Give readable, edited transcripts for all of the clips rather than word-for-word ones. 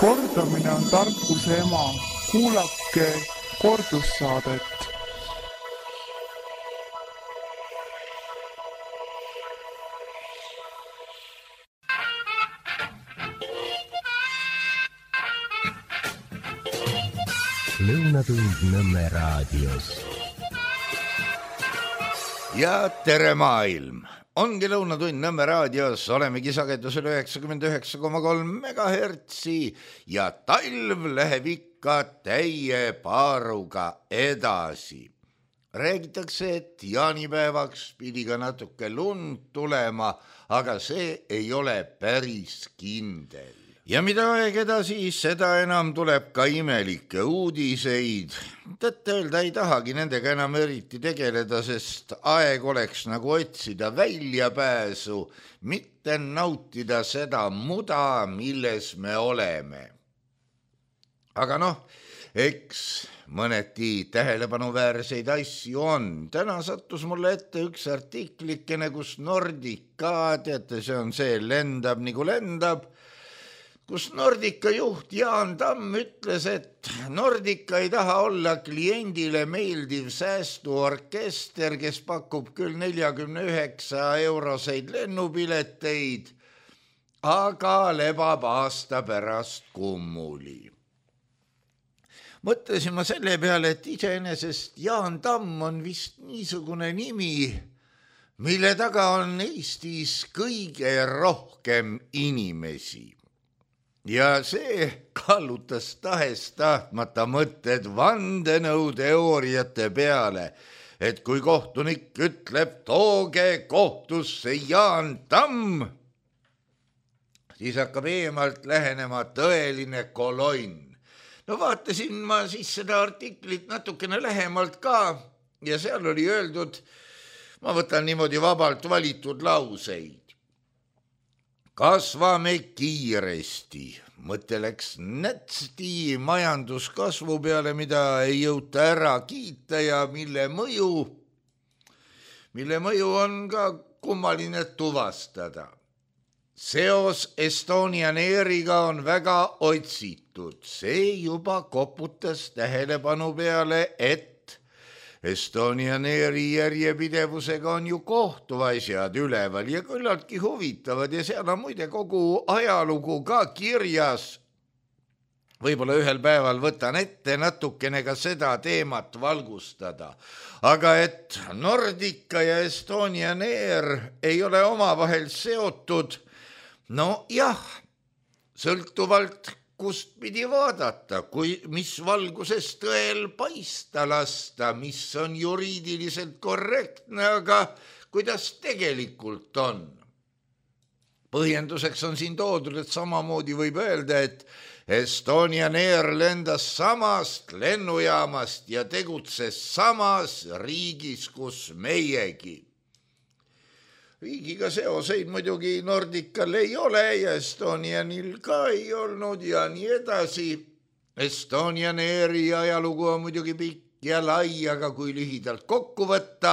Kordamine on tarkuse ema. Kuulake kordussaadet. Lõunatund Nõmme raadios. Ja tere maailm! Ongi Lõunatund Nõmme raadios, olemegi sagedusel 99,3 MHz ja talv läheb ikka täie paaruga edasi. Räägitakse, et jaanipäevaks pidi ka natuke lund tulema, aga see ei ole päris kindel. Ja mida aeg edasi, seda enam tuleb ka imelikke uudiseid. Tõtt-öelda ei tahagi nendega enam eriti tegeleda, sest aeg oleks nagu otsida väljapääsu, mitte nautida seda muda, milles me oleme. Aga eks mõneti tähelepanuväärseid asju on. Täna sattus mulle ette üks artiklikene, kus Nordica, teate, see lendab nagu lendab, kus Nordica juht Jaan Tamm ütles, et Nordica ei taha olla kliendile meeldiv säästuorkester, kes pakub küll 49-euroseid lennupileteid, aga lebab aasta pärast kummuli. Mõtlesin ma selle peale, et iseenesest Jaan Tamm on vist niisugune nimi, mille taga on Eestis kõige rohkem inimesi. Ja see kallutas tahes-tahtmata mõtted vandenõuteooriate peale, et kui kohtunik ütleb, tooge kohtusse Jaan Tamm, siis hakkab eemalt lähenema tõeline kolonn. Vaatasin ma siis seda artiklit natukene lähemalt ka ja seal oli öeldud, ma võtan niimoodi vabalt valitud lauseid. Kasvame kiiresti, mõte läks nätsti majanduskasvu peale, mida ei jõuta ära kiita ja mille mõju on ka kummaline tuvastada. Seos Estonian Airiga on väga otsitud. See juba koputas tähelepanu peale, et Estonian Airi järjepidevusega on ju kohtuasjad üleval ja küllaltki huvitavad ja seal on muide kogu ajalugu ka kirjas. Võib-olla ühel päeval võtan ette natukene ka seda teemat valgustada. Aga et Nordica ja Estonian Air ei ole omavahel seotud, sõltuvalt kust pidi vaadata, mis valguses tõel paista lasta, mis on juriidiliselt korrektne, aga kuidas tegelikult on. Põhjenduseks on siin toodud, et samamoodi võib öelda, et Estonian Air lendas samast lennujaamast ja tegutses samas riigis, kus meiegi. Riigiga seoseid muidugi Nordical ei ole ja Estonianil ka ei olnud ja nii edasi. Estonian Airi ajalugu on muidugi pikk ja lai, aga kui lühidalt kokku võtta.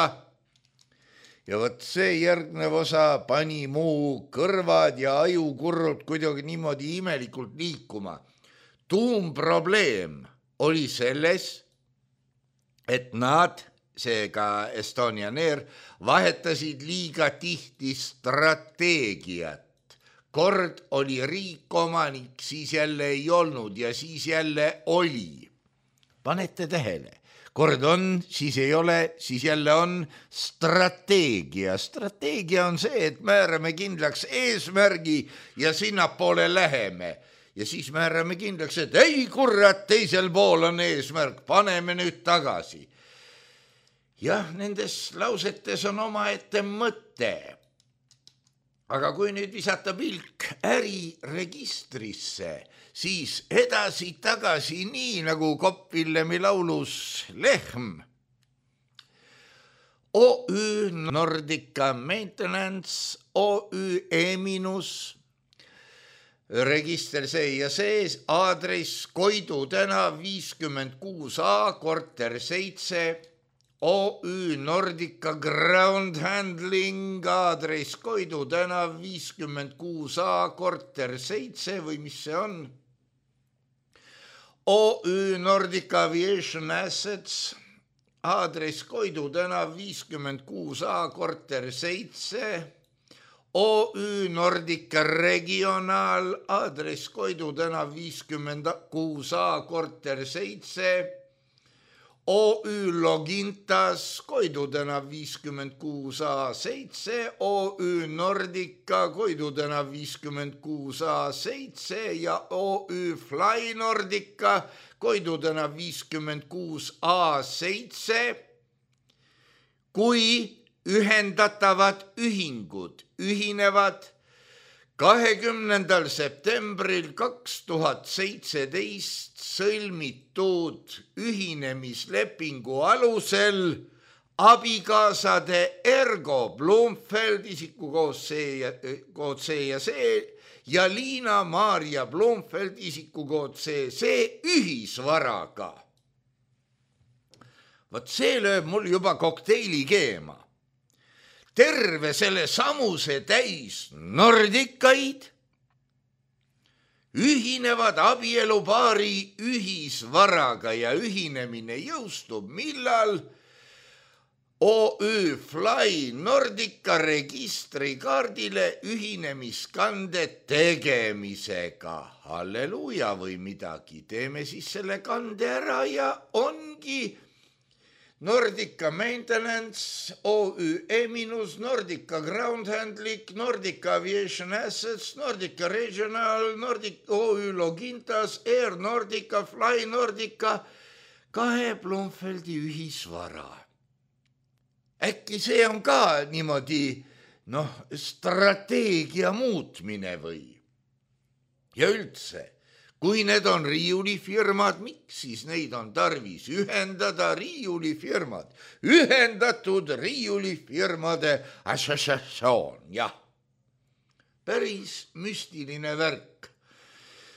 Ja võt see järgnev osa pani muu kõrvad ja ajukurrud kuidagi niimoodi imelikult liikuma. Tuumprobleem oli selles, et nad, seega Estonian Air, vahetasid liiga tihti strateegiat. Kord oli riik omanik, siis jälle ei olnud ja siis jälle oli. Panete tähele, kord on, siis ei ole, siis jälle on strateegia. Strateegia on see, et määrame kindlaks eesmärgi ja sinnapoole läheme. Ja siis määrame kindlaks, et ei kurat, teisel pool on eesmärk, paneme nüüd tagasi. Jah, nendes lausetes on omaette mõte. Aga kui nüüd visata pilk äriregistrisse, siis edasi-tagasi nii nagu Kopp-Villemi laulus Lehm. OÜ Nordica Maintenance, OÜ E-, register see ja sees, aadress Koidu tänav 56A, korter 7, OÜ Nordica Ground Handling, aadress Koidu tänav 56A, korter 7 või mis see on? OÜ Nordic Aviation Assets, aadress Koidu tänav 56A, korter 7, OÜ Nordica Regional, aadress Koidu tänav 56A, korter 7, OÜ Logintas, Koidu tänav 56A 7, OÜ Nordica, Koidu tänav 56A 7 ja OÜ Fly Nordica, Koidu tänav 56A 7, kui ühendatavad ühingud ühinevad 20. septembril 2017 sõlmitud ühinemislepingu alusel abikaasade Ergo Blomfeld, isikukood C ja C, ja Liina-Maarja Blomfeld, isikukood C ühisvaraga. Vot see lööb mul juba kokteili keema. Terve selle samuse täis nordikaid ühinevad abielupaari ühisvaraga ja ühinemine jõustub millal OÜ Fly Nordica registrikaardile ühinemiskande tegemisega. Halleluuja või midagi, teeme siis selle kande ära ja ongi Nordica Maintenance, OÜ Eminus, Nordica Ground Handling, Nordica Aviation Assets, Nordica Regional, OÜ Logintas, Air Nordica, Fly Nordica, 2 Blomfeldi ühisvara. Äkki see on ka niimoodi, strateegia muutmine või? Ja üldse, kui need on riiulifirmad, miks siis neid on tarvis ühendada? Riiulifirmad, ühendatud riiulifirmade assotsiatsioon, jah. Päris müstiline värk.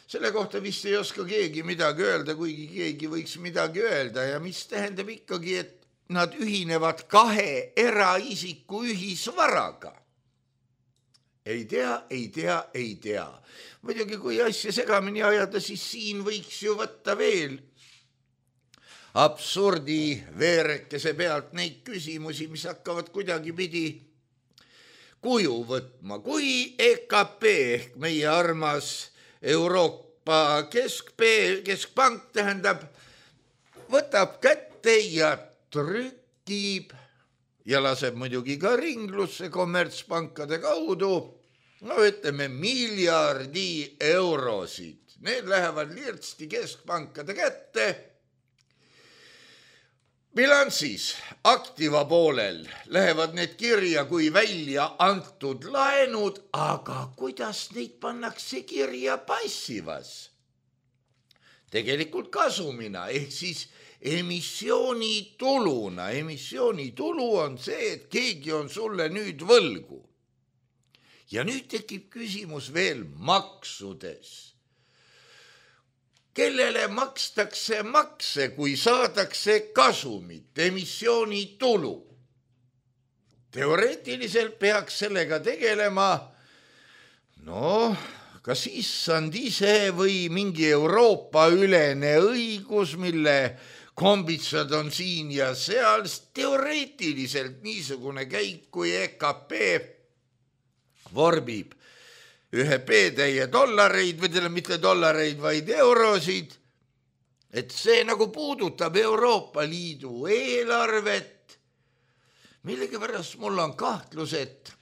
Selle kohta vist ei oska keegi midagi öelda, kuigi keegi võiks midagi öelda ja mis tähendab ikkagi, et nad ühinevad 2 eraisiku ühisvaraga. Ei tea. Muidugi, kui asja segamini ajada, siis siin võiks ju võtta veel absurdi veerekese pealt neid küsimusi, mis hakkavad kuidagipidi kuju võtma. Kui EKP ehk meie armas Euroopa keskpank tähendab, võtab kätte ja trükib ja laseb muidugi ka ringlusse kommertspankade kaudu, ütleme miljardi eurosid. Need lähevad lirtsti keskpankade kätte. Bilansis aktiva poolel lähevad need kirja kui välja antud laenud, aga kuidas neid pannakse kirja passivas? Tegelikult kasumina ehk siis emissioonituluna. Emissioonitulu on see, et keegi on sulle nüüd võlgu. Ja nüüd tekib küsimus veel maksudes. Kellele makstakse makse, kui saadakse kasumit, emissioonitulu? Teoreetiliselt peaks sellega tegelema, kas issand ise või mingi Euroopa ülene õigus, mille kombitsad on siin ja seal. Teoreetiliselt niisugune käik, kui EKP vorbib 1 P-täie dollareid, või mitte dollareid, vaid eurosid, et see nagu puudutab Euroopa Liidu eelarvet. Millegipärast mul on kahtlus, et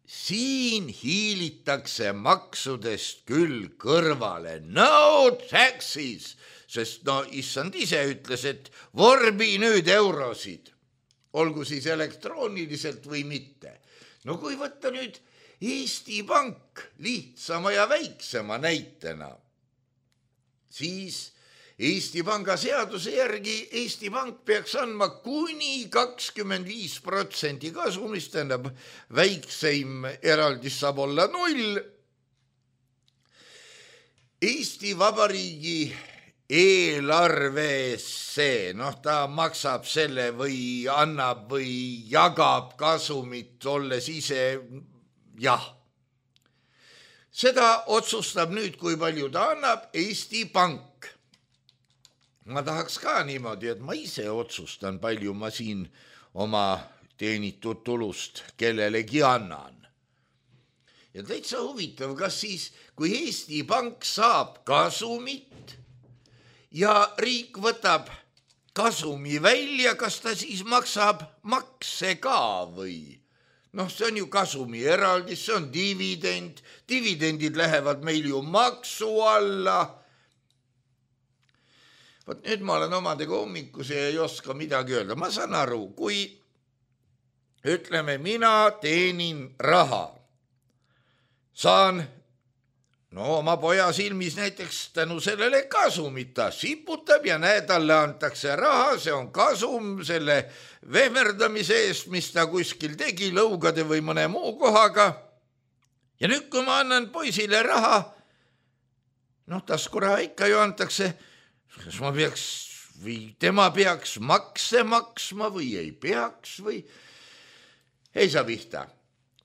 siin hiilitakse maksudest küll kõrvale. No taxes, sest issand ise ütles, et vorbi nüüd eurosid, olgu siis elektrooniliselt või mitte. Kui võtta nüüd Eesti Pank lihtsama ja väiksema näitena, siis Eesti Panga seaduse järgi Eesti Pank peaks andma kuni 25% kasumist, tähendab väikseim eraldis saab olla 0. Eesti Vabariigi eelarvesse, ta maksab selle või annab või jagab kasumit, olles ise, jah. Seda otsustab nüüd, kui palju ta annab Eesti Pank. ma tahaks ka niimoodi, et ma ise otsustan, palju ma siin oma teenitud tulust kellelegi annan. Ja täitsa huvitav, kas siis, kui Eesti Pank saab kasumit ja riik võtab kasumi välja, kas ta siis maksab makse ka või? See on ju kasumi eraldis, see on dividend, dividendid lähevad meil ju maksu alla. Vot nüüd ma olen omadega hommikuse ja ei oska midagi öelda. Ma saan aru, kui ütleme, mina teenin raha, saan oma poja silmis näiteks tänu sellele kasumit, ta siputab ja talle antakse raha, see on kasum selle vehmerdamise eest, mis ta kuskil tegi lõugade või mõne muu kohaga. Ja nüüd, kui ma annan poisile raha, taskuraha ikka ju antakse, kas ma peaks või tema peaks makse maksma või ei peaks või ei saa pihta.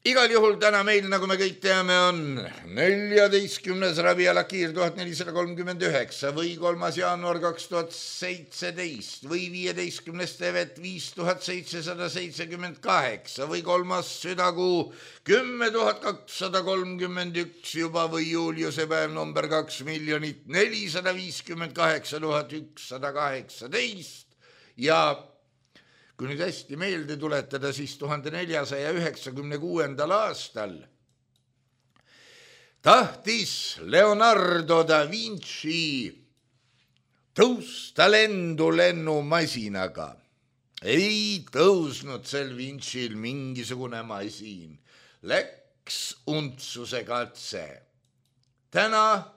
Igal juhul täna meil, nagu me kõik teame, on 14. ravialakiir 1439 või 3. jaanuar 2017 või 15. tevet 5778 või 3. südakuu 10,231 juba või juuliuse päev number 2,458,118 ja kui nüüd hästi meelde tuletada, siis 1496. aastal tahtis Leonardo da Vinci tõusta lennumasinaga. Ei tõusnud sel Vinci'l mingisugune masin. Läks untsuse katse. Täna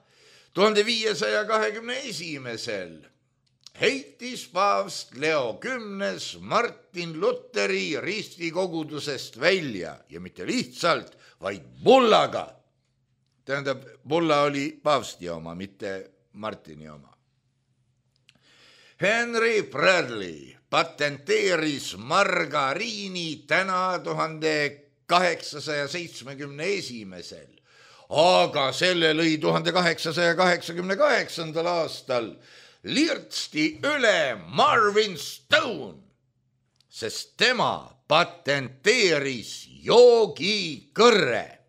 1521. heitis paavst Leo X Martin Luteri ristikogudusest välja ja mitte lihtsalt, vaid bullaga. Tähendab, bulla oli paavsti oma, mitte Martini oma. Henry Bradley patenteeris margariini täna 1871. Aga selle lõi 1888. aastal lirtsti üle Marvin Stone, sest tema patenteeris joogikõrre.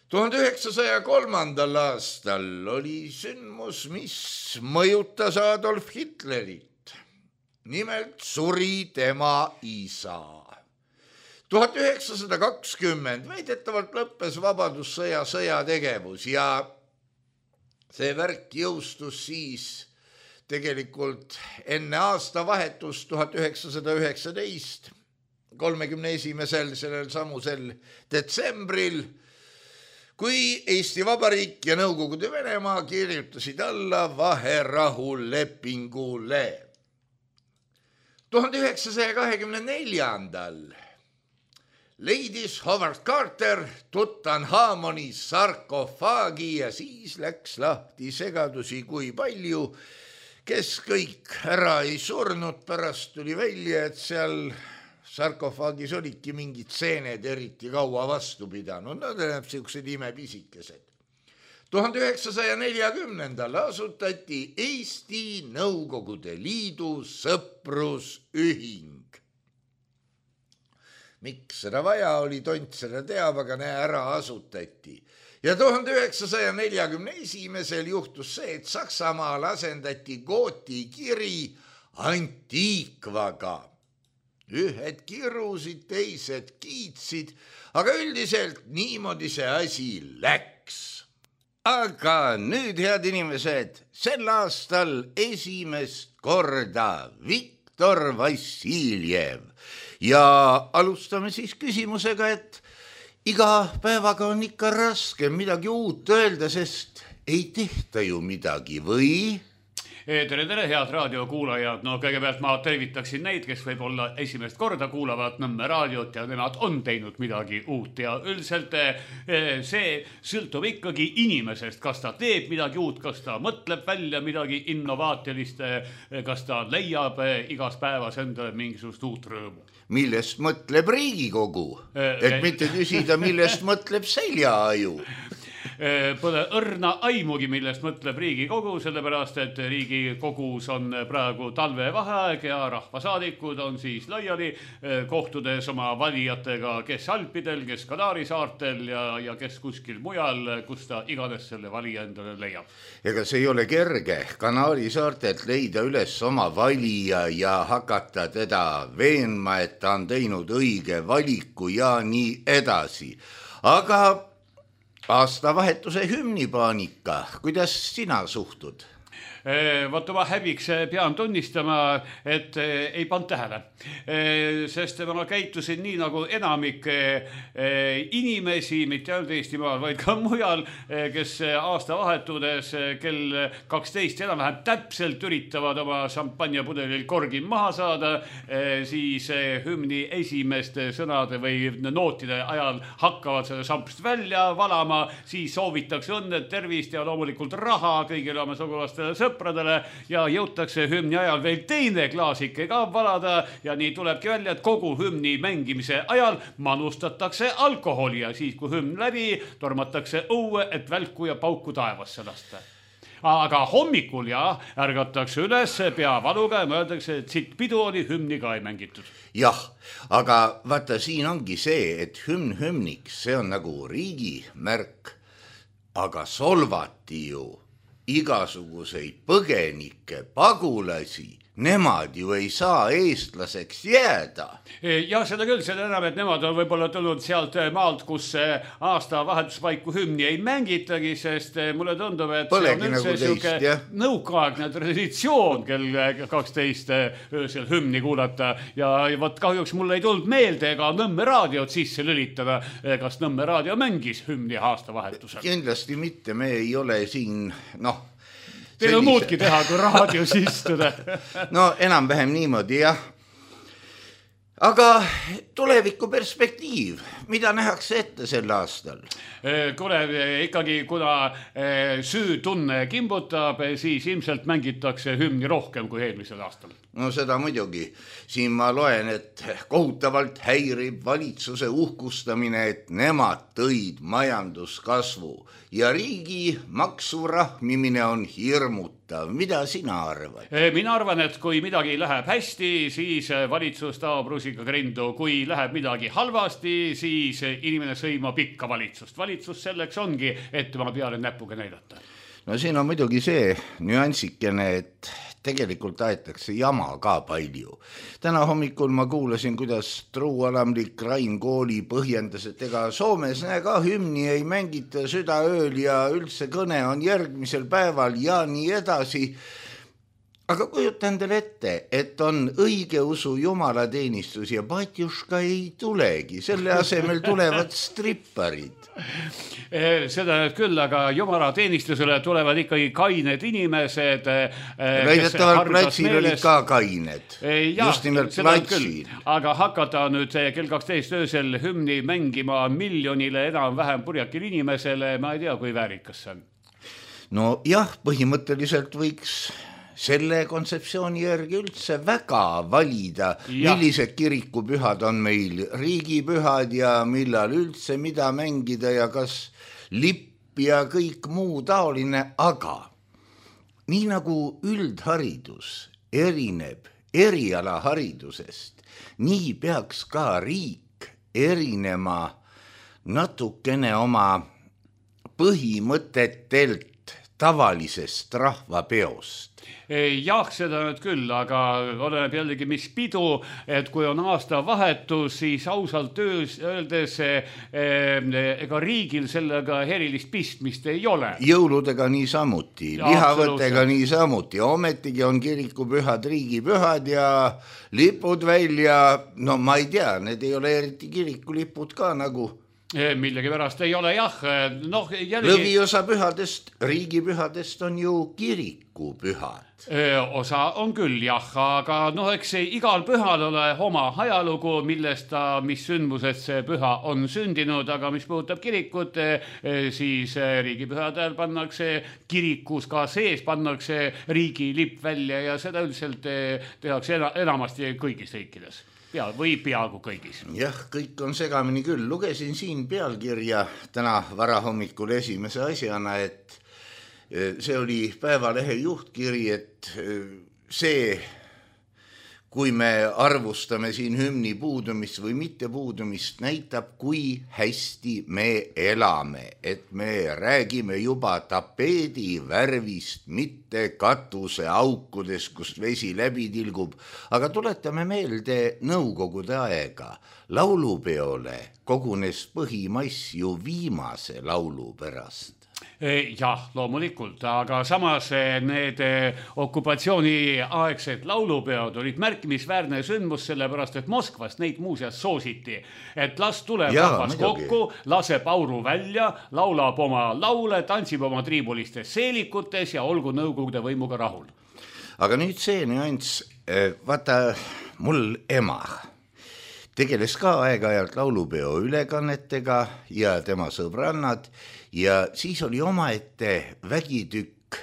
1903. aastal oli sündmus, mis mõjutas Adolf Hitlerit. Nimelt suri tema isa. 1920 väidetavalt lõppes vabadussõja sõjategevus ja see värk jõustus siis tegelikult enne aastavahetust 1919, 31. sellel samusel detsembril, kui Eesti Vabariik ja Nõukogude Venemaa kirjutasid alla vaherahulepingule. 1924. leidis Howard Carter Tutankhamoni sarkofaagi ja siis läks lahti segadusi, kui palju, kes kõik ära ei surnud. Pärast tuli välja, et seal sarkofaagis olidki mingid seened eriti kaua vastu pidanud. Nad on siuksed imepisikesed. 1940. asutati Eesti Nõukogude Liidu sõprusühing. Miks seda vaja oli, tont seda teab, aga ära asutati. Ja 1941. juhtus see, et Saksamaal asendati Gooti kiri Antiikvaga. Ühed kirusid, teised kiitsid, aga üldiselt niimoodi see asi läks. Aga nüüd, head inimesed, sel aastal esimest korda Viktor Vassiljev. Ja alustame siis küsimusega, et iga päevaga on ikka raske midagi uut öelda, sest ei tehta ju midagi, või? Tere, head raadiokuulajad. No kõigepealt ma tervitaksin neid, kes võib-olla esimest korda kuulavad Nõmme raadiot ja nemad on teinud midagi uut. Ja üldiselt see sõltub ikkagi inimesest, kas ta teeb midagi uut, kas ta mõtleb välja midagi innovaatilist, kas ta leiab igas päevas endale mingisugust uut rõõmu. Millest mõtleb Riigikogu? Et mitte küsida, millest mõtleb seljaaju. pole õrna aimugi, millest mõtleb Riigikogu, sellepärast, et Riigikogus on praegu talvevaheaeg ja rahvasaadikud on siis laiali kohtudes oma valijatega, kes Alpidel, kes Kanaari saartel ja kes kuskil mujal, kus ta iganes selle valija endale leiab. Ega see ei ole kerge Kanaari saartelt leida üles oma valija ja hakata teda veenma, et ta on teinud õige valiku ja nii edasi. Aga aastavahetuse hümnipaanika, kuidas sina suhtud? Vaata, ma häbiks pean tunnistama, et ei pannud tähele, sest ma käitusin nii nagu enamik inimesi, mitte ainult Eestimaal, vaid ka mujal, kes aastavahetudes kell 12 enam-vähem täpselt üritavad oma šampanjapudelil korgi maha saada, siis hümni esimeste sõnade või nootide ajal hakkavad seda šampst välja valama, siis soovitakse õnne, tervist ja loomulikult raha kõigile oma sugulastele sõpradele ja jõutakse hümni ajal veel teine klaasike ka valada ja nii tulebki välja, et kogu hümni mängimise ajal manustatakse alkoholi ja siis, kui hümn läbi, tormatakse õue, et välku ja pauku taevasse lasta. Aga hommikul ärgatakse üles peavaluga ja mõeldakse, et siit pidu oli, hümni ka ei mängitud. Jah, aga vaata, siin ongi see, et hümniks, see on nagu riigimärk, aga solvati ju igasuguseid põgenikke, pagulasi, nemad ju ei saa eestlaseks jääda. Ja seda küll, selle enam, et nemad on võib-olla tulnud sealt maalt, kus aasta vahetuspaiku hümni ei mängitagi, sest mulle tundub, et Polegi see on üldse siuke nõukaaegne traditsioon kell 12 öösel hümni kuulata ja võt kahjuks mulle ei tulnud meelde ega Nõmme raadiot sisse lülitada, kas Nõmme raadio mängis hümni aastavahetusel. Kindlasti mitte, me ei ole siin, Teil on muudki teha, kui raadios istuda. No enam-vähem niimoodi, jah. Aga tuleviku perspektiiv, mida nähakse ette sel aastal? Kuule, ikkagi kuna süütunne kimbutab, siis ilmselt mängitakse hümni rohkem kui eelmisel aastal. No seda muidugi. Siin ma loen, et kohutavalt häirib valitsuse uhkustamine, et nemad tõid majanduskasvu ja riigi maksurahmimine on hirmutav. Mida sina arvad? Mina arvan, et kui midagi läheb hästi, siis valitsus taob rusikaga rindu. Kui läheb midagi halvasti, siis inimene sõimab ikka valitsust. Valitsus selleks ongi, et tema peale näpuga näidata. No siin on muidugi see nüansikene, et tegelikult aetakse jama ka palju. Täna hommikul ma kuulasin, kuidas truualamlik Rain Kooli põhjendas, et ega Soomes ka hümni ei mängita südaööl ja üldse kõne on järgmisel päeval ja nii edasi. Aga kujuta endale ette, et on õigeusu jumalateenistus ja Batjuška ei tulegi. Selle asemel tulevad stripparid. Seda nüüd küll, aga jumalateenistusele tulevad ikkagi kained inimesed. Väidetavalt platsil olid ka kained. Just nimelt platsil. Aga hakata nüüd kell 12 öösel hümni mängima miljonile enam-vähem purjakil inimesele, ma ei tea, kui väärikas see on. No jah, põhimõtteliselt võiks selle kontseptsiooni järgi üldse väga valida, millised kirikupühad on meil riigipühad ja millal üldse mida mängida ja kas lipp ja kõik muu taoline, aga nii nagu üldharidus erineb erialaharidusest, nii peaks ka riik erinema natukene oma põhimõtetelt tavalisest rahvapeost. Jah, seda nüüd küll, aga oleneb jällegi, mis pidu, et kui on aasta vahetus, siis ausalt öeldes ega riigil sellega erilist pistmist ei ole. Jõuludega nii samuti, lihavõttega nii samuti, ometigi on kirikupühad riigipühad ja lipud välja, no ma ei tea, need ei ole eriti kirikulipud ka nagu. Millegi pärast ei ole, jah. Lõviosa pühadest, riigipühadest on ju kirikupühad. Osa on küll, jah, aga eks igal pühal ole oma ajalugu, millest mis sündmused see püha on sündinud, aga mis puudutab kirikut, siis riigipühadel pannakse kirikus ka sees, pannakse riigi lipp välja ja seda üldiselt tehakse enamasti kõigis riikides. või peaaegu kõigis. Jah, kõik on segamini küll. Lugesin siin pealkirja täna varahommikul esimese asjana, et see oli Päevalehe juhtkiri, et see, kui me arvustame siin hümni puudumist või mitte puudumist, näitab, kui hästi me elame, et me räägime juba tapeedi värvist, mitte katuse aukudes, kust vesi läbi tilgub, aga tuletame meelde nõukogude aega. Laulupeole kogunes põhimass ju viimase laulu pärast. Jah, loomulikult, aga samas need okupatsiooniaegsed laulupeod olid märkimisväärne sündmus, sellepärast, et Moskvast neid muuseas soositi, et las tuleb rahvas kokku, laseb auru välja, laulab oma laule, tantsib oma triibulistes seelikutes ja olgu nõukogude võimuga rahul. Aga nüüd see nüanss, vaata, mul ema tegeles ka aeg-ajalt laulupeo ülekannetega ja tema sõbrannad ja siis oli omaette vägitükk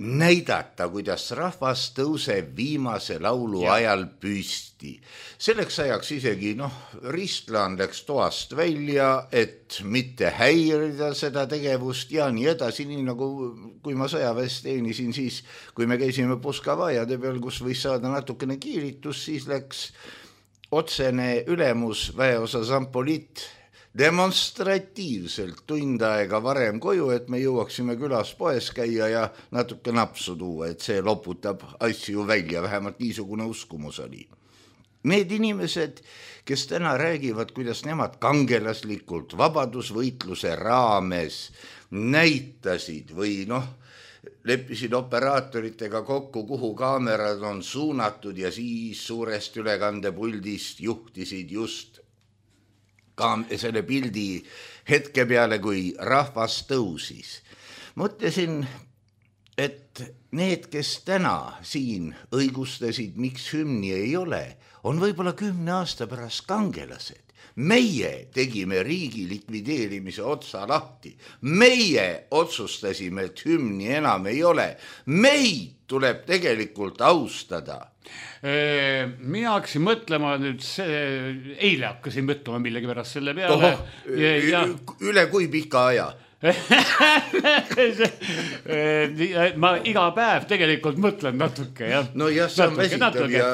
näidata, kuidas rahvas tõuseb viimase laulu ajal püsti. Selleks ajaks isegi, Ristlan läks toast välja, et mitte häirida seda tegevust ja nii edasi, nii nagu kui ma sõjaväes teenisin, siis kui me käisime Puskavajade peal, kus võis saada natukene kiiritus, siis läks otsene ülemus väeosa Zampolit demonstratiivselt tund aega varem koju, et me jõuaksime külas poes käia ja natuke napsu tuua, et see loputab asju välja, vähemalt niisugune uskumus oli. Need inimesed, kes täna räägivad, kuidas nemad kangelaslikult vabadusvõitluse raames näitasid või leppisid operaatoritega kokku, kuhu kaamerad on suunatud ja siis suurest ülekandepuldist juhtisid just selle pildi hetke peale, kui rahvas tõusis. Mõtlesin, et need, kes täna siin õigustasid, miks hümni ei ole, on võib-olla 10 aasta pärast kangelased. Meie tegime riigi likvideerimise otsa lahti. Meie otsustasime, et hümni enam ei ole. Meid tuleb tegelikult austada. Mina hakkasin mõtlema nüüd eile hakkasin mõtlema millegi pärast selle peale. Üle kui pika aja? Ma iga päev tegelikult mõtlen natuke. No jah, see on vesitav ja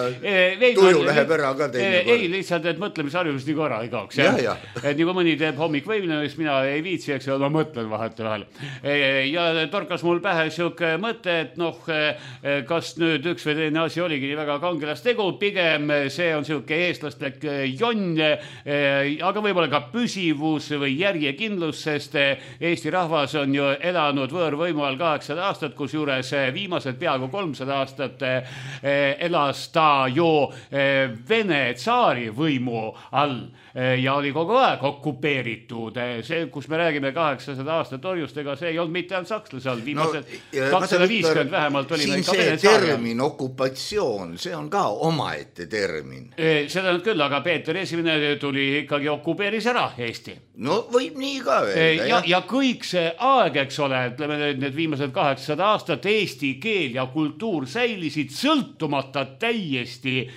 tuju läheb ära ka teine kord. Ei, lihtsalt, et mõtlemisharjumus nii korra ei kaoks. Et nii kui mõni teeb hommikvõimlemist, mina ei viitsi, eks ma mõtlen vahetevahel. Ja torkas mul pähe siuke mõte, et kas nüüd üks või teine asi oligi nii väga kangelastegu, pigem see on siuke eestlastlik jonn, aga võib-olla ka püsivus või järjekindlus, sest Eesti rahvas on ju elanud võõrvõimu all 800 aastat, kus juures viimased peaaegu 300 aastat elas ta ju Vene tsaari võimu all ja oli kogu aeg okupeeritud. See, kus me räägime 800 aastat orjustega, see ei olnud mitte ainult sakslase all, viimased 250 vähemalt oli siin see termin okupatsioon, see on ka omaette termin. Seda nüüd küll, aga Peeter Esimene tuli ikkagi okupeeris ära Eesti. No võib nii ka öelda. Ja kõik see aeg, eks ole, ütleme need viimased 800 aastat eesti keel ja kultuur säilisid sõltumata täiesti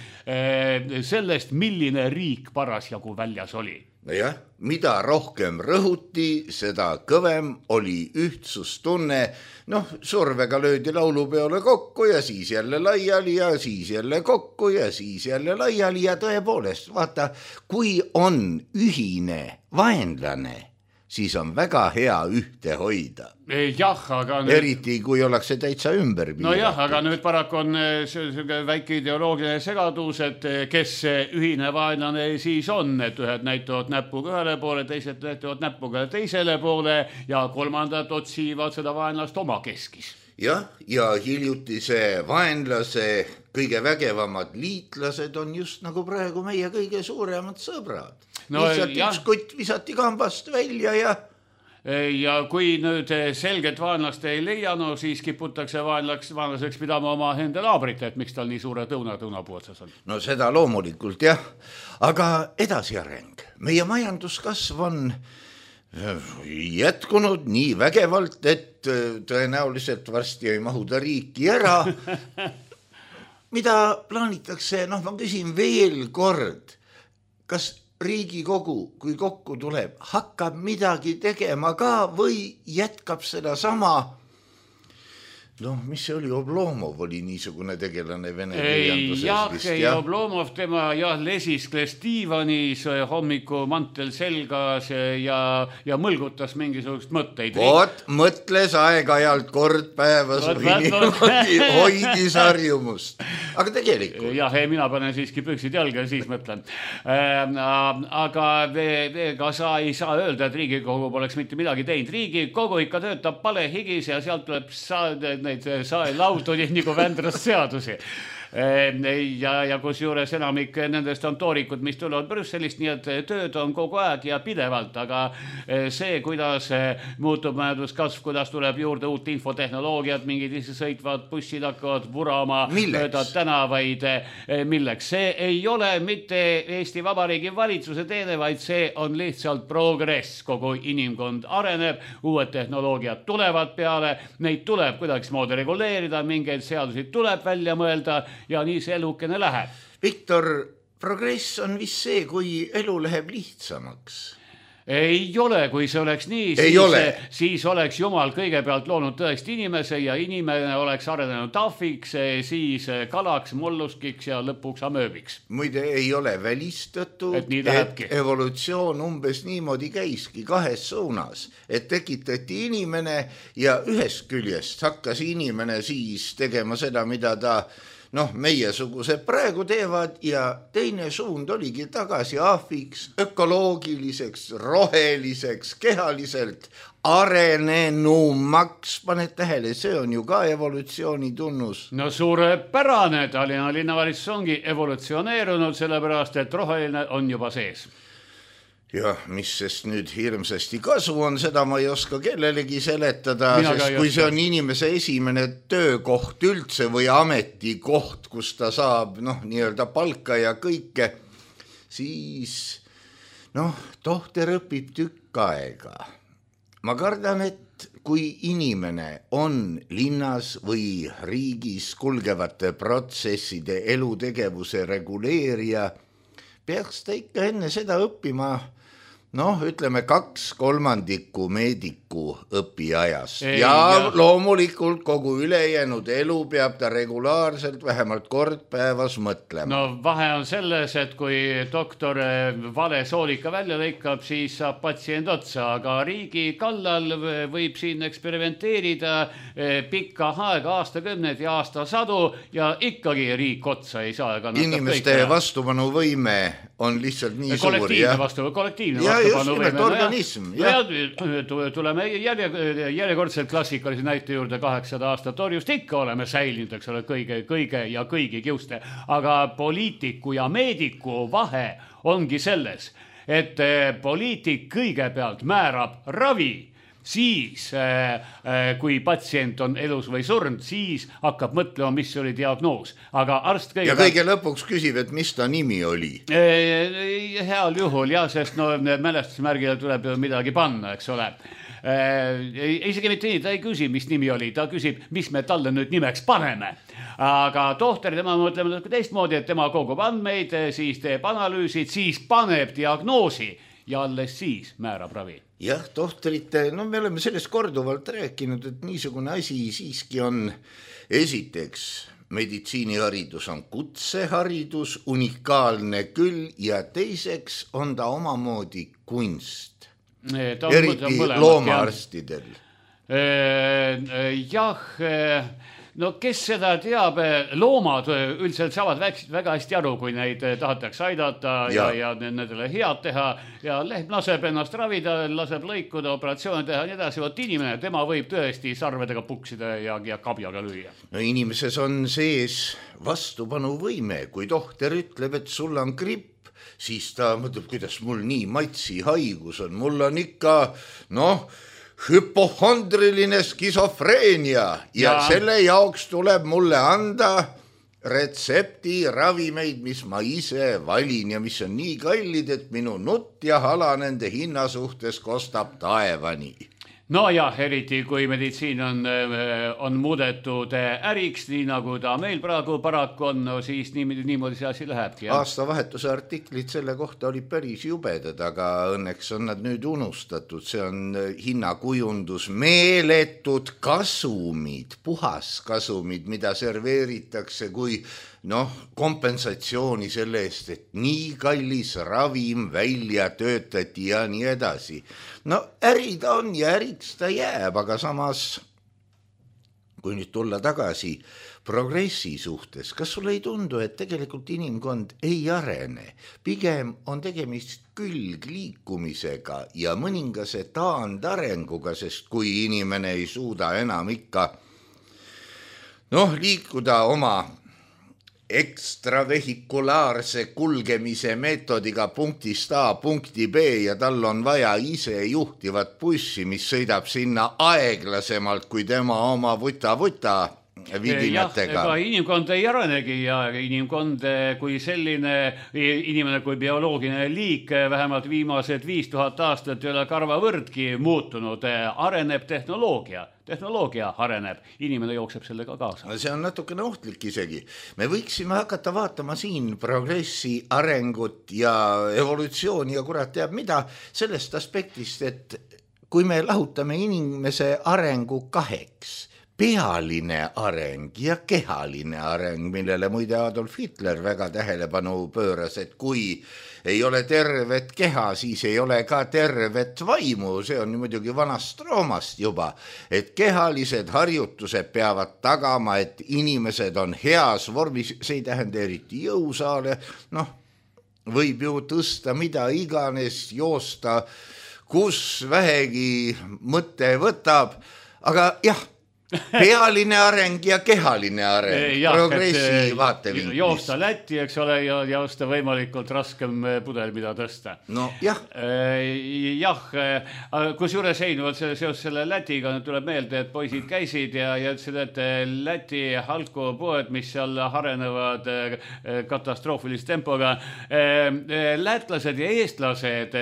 sellest, milline riik parasjagu väljas oli. Nojah, mida rohkem rõhuti, seda kõvem oli ühtsustunne. Survega löödi laulupeole kokku ja siis jälle laiali ja siis jälle kokku ja siis jälle laiali ja tõepoolest, vaata, kui on ühine vaenlane, siis on väga hea ühte hoida. Jah, aga eriti kui ollakse täitsa ümber piiratud. No jah, aga nüüd paraku on see väike ideoloogiline segadus, et kes ühine vaenlane siis on, et ühed näitavad näpuga ühele poole, teised näitavad näpuga teisele poole ja kolmandad otsivad seda vaenlast oma keskis. Jah, ja hiljutise vaenlase kõige vägevamad liitlased on just nagu praegu meie kõige suuremad sõbrad. Lihtsalt üks kutt visati kambast välja ja kui nüüd selget vaenlast ei leia, siis kiputakse vaenlaseks pidama oma enda naabrit, et miks tal nii suure tõunapuu otsas on. No seda loomulikult jah, aga edasiareng. Meie majanduskasv on jätkunud nii vägevalt, et tõenäoliselt varsti ei mahuda riiki ära. mida plaanitakse, ma küsin veel kord, kas Riigikogu, kui kokku tuleb, hakkab midagi tegema ka või jätkab seda sama, mis see oli, Oblomov oli niisugune tegelane vene kirjanduses vist. Ei, Oblomov, tema lesiskles diivanis hommikumantel selgas ja mõlgutas mingisugust mõtteid. Mõtles aeg-ajalt kord päevas hoidis harjumust. Aga tegelikult. Jah, mina panen siiski püksid jalga ja siis mõtlen. Aga ega sa ei saa öelda, et Riigikogu poleks mitte midagi teinud. Riigikogu ikka töötab palehigis ja sealt tuleb neid laudu nagu Vändrast seadusi. Ja kusjuures enamik nendest on toorikud, mis tulevad Brüsselist, nii et tööd on kogu aeg ja pidevalt, aga see, kuidas muutub majanduskasv, kuidas tuleb juurde uut infotehnoloogiat, mingid sõitvad bussid hakkavad vurama mööda tänavaid, milleks? See ei ole mitte Eesti Vabariigi valitsuse teene, vaid see on lihtsalt progress. Kogu inimkond areneb, uued tehnoloogiad tulevad peale, neid tuleb kuidagismoodi reguleerida, mingeid seadusi tuleb välja mõelda ja nii see elukene läheb. Viktor, progress on vist see, kui elu läheb lihtsamaks. Ei ole, kui see oleks nii, siis oleks Jumal kõigepealt loonud tõesti inimese ja inimene oleks arenenud tahviks, siis kalaks, molluskiks ja lõpuks amööbiks. Muide, ei ole välistatud, et evolutsioon umbes niimoodi käiski kahes suunas, et tekitati inimene ja ühest küljest hakkas inimene siis tegema seda, mida ta meiesugused praegu teevad ja teine suund oligi tagasi ahviks, ökoloogiliseks, roheliseks, kehaliselt arenenumaks. Paned tähele, see on ju ka evolutsiooni tunnus. No suurepärane, Tallinna linnavalitsus ongi evolutsioneerunud, sellepärast et roheline on juba sees. Jah, mis sest nüüd hirmsasti kasu on, seda ma ei oska kellelegi seletada, sest kui see on inimese esimene töökoht üldse või ametikoht, kus ta saab nii-öelda palka ja kõike, siis tohter õpib tükk aega. Ma kardan, et kui inimene on linnas või riigis kulgevate protsesside elutegevuse reguleerija, peaks ta ikka enne seda õppima ütleme 2/3 meediku õpiajast. Ja loomulikult kogu ülejäänud elu peab ta regulaarselt vähemalt kord päevas mõtlema. Vahe on selles, et kui doktor vale soolika välja lõikab, siis saab patsient otsa, aga riigi kallal võib siin eksperimenteerida pikka aega, aastakümneid ja aastasadu ja ikkagi riik otsa ei saa. Inimeste vastupanuvõime on lihtsalt nii suur. Kollektiivne vastupanu. Just nimelt organism. Tuleme järjekordselt klassikalise näite juurde, 800 aastat orjust ikka oleme säilinud, eks ole, kõige ja kõigi kiuste. Aga poliitiku ja meediku vahe ongi selles, et poliitik kõigepealt määrab ravi, siis kui patsient on elus või surnud, siis hakkab mõtlema, mis oli diagnoos. Aga arst ja kõige lõpuks küsib, et mis ta nimi oli? Heal juhul, sest mälestusmärgile tuleb ju midagi panna, eks ole. Isegi mitte nii, ta ei küsi, mis nimi oli, ta küsib, mis me talle nüüd nimeks paneme. Aga tohter, tema mõtleme teistmoodi, et tema kogub andmeid, siis teeb analüüsid, siis paneb diagnoosi ja alles siis määrab ravi. Jah, tohtrite, me oleme sellest korduvalt rääkinud, et niisugune asi siiski on esiteks meditsiiniharidus on kutseharidus, unikaalne küll ja teiseks on ta omamoodi kunst. Eriti loomaarstidel. Kes seda teab, loomad üldiselt saavad väga hästi aru, kui neid tahetakse aidata ja nendele head teha ja lehm laseb ennast ravida, laseb lõikuda, operatsioone teha ja nii edasi. Võt inimene, tema võib tõesti sarvedega puksida ja kabjaga lüüa. Inimeses on sees vastupanuvõime, kui tohter ütleb, et sul on gripp, siis ta mõtleb, kuidas mul nii matsi haigus on, mul on ikka, hüpohondriline skisofreenia ja selle jaoks tuleb mulle anda retsepti ravimeid, mis ma ise valin ja mis on nii kallid, et minu nutt ja hala nende hinna suhtes kostab taevani. No ja eriti kui meditsiin on muudetud äriks, nii nagu ta meil praegu paraku on, no siis niimoodi see asi lähebki. Aastavahetuse artiklid selle kohta oli päris jubedad, aga õnneks on nad nüüd unustatud. See on hinnakujundus, meeletud kasumid, puhaskasumid, mida serveeritakse kui kompensatsiooni selle eest, et nii kallis ravim välja töötati ja nii edasi. Äri ta on ja äriks ta jääb, aga samas, kui nüüd tulla tagasi progressi suhtes, kas sulle ei tundu, et tegelikult inimkond ei arene? Pigem on tegemist külgliikumisega ja mõningase taandarenguga, sest kui inimene ei suuda enam ikka liikuda oma ekstravehikulaarse kulgemise meetodiga punktist A punkti B ja tal on vaja ise juhtivat bussi, mis sõidab sinna aeglasemalt kui tema oma vuta vidinatega. Ega inimkond ei arenegi ja inimkond kui selline, inimene kui bioloogiline liik vähemalt viimased 5000 aastat ei ole karvavõrdki muutunud, areneb tehnoloogia areneb, inimene jookseb sellega kaasa. See on natukene ohtlik isegi. Me võiksime hakata vaatama siin progressi, arengut ja evolutsiooni ja kurat teab mida sellest aspektist, et kui me lahutame inimese arengu kaheks, pealine areng ja kehaline areng, millele muide Adolf Hitler väga tähelepanu pööras, et kui ei ole tervet keha, siis ei ole ka tervet vaimu, see on muidugi vanast Roomast juba, et kehalised harjutused peavad tagama, et inimesed on heas vormis, see ei tähenda eriti jõusaale, võib ju tõsta mida iganes, joosta, kus vähegi mõte võtab, aga jah, pealine areng ja kehaline areng, progressi vaatevinklist. Joosta Lätti, eks ole, ja osta võimalikult raskem pudel, mida tõsta. Jah. Kusjuures seoses selle Lätiga tuleb meelde, et poisid käisid ja ütlesid, et Läti alkopoed, mis seal arenevad katastroofilise tempoga, lätlased ja eestlased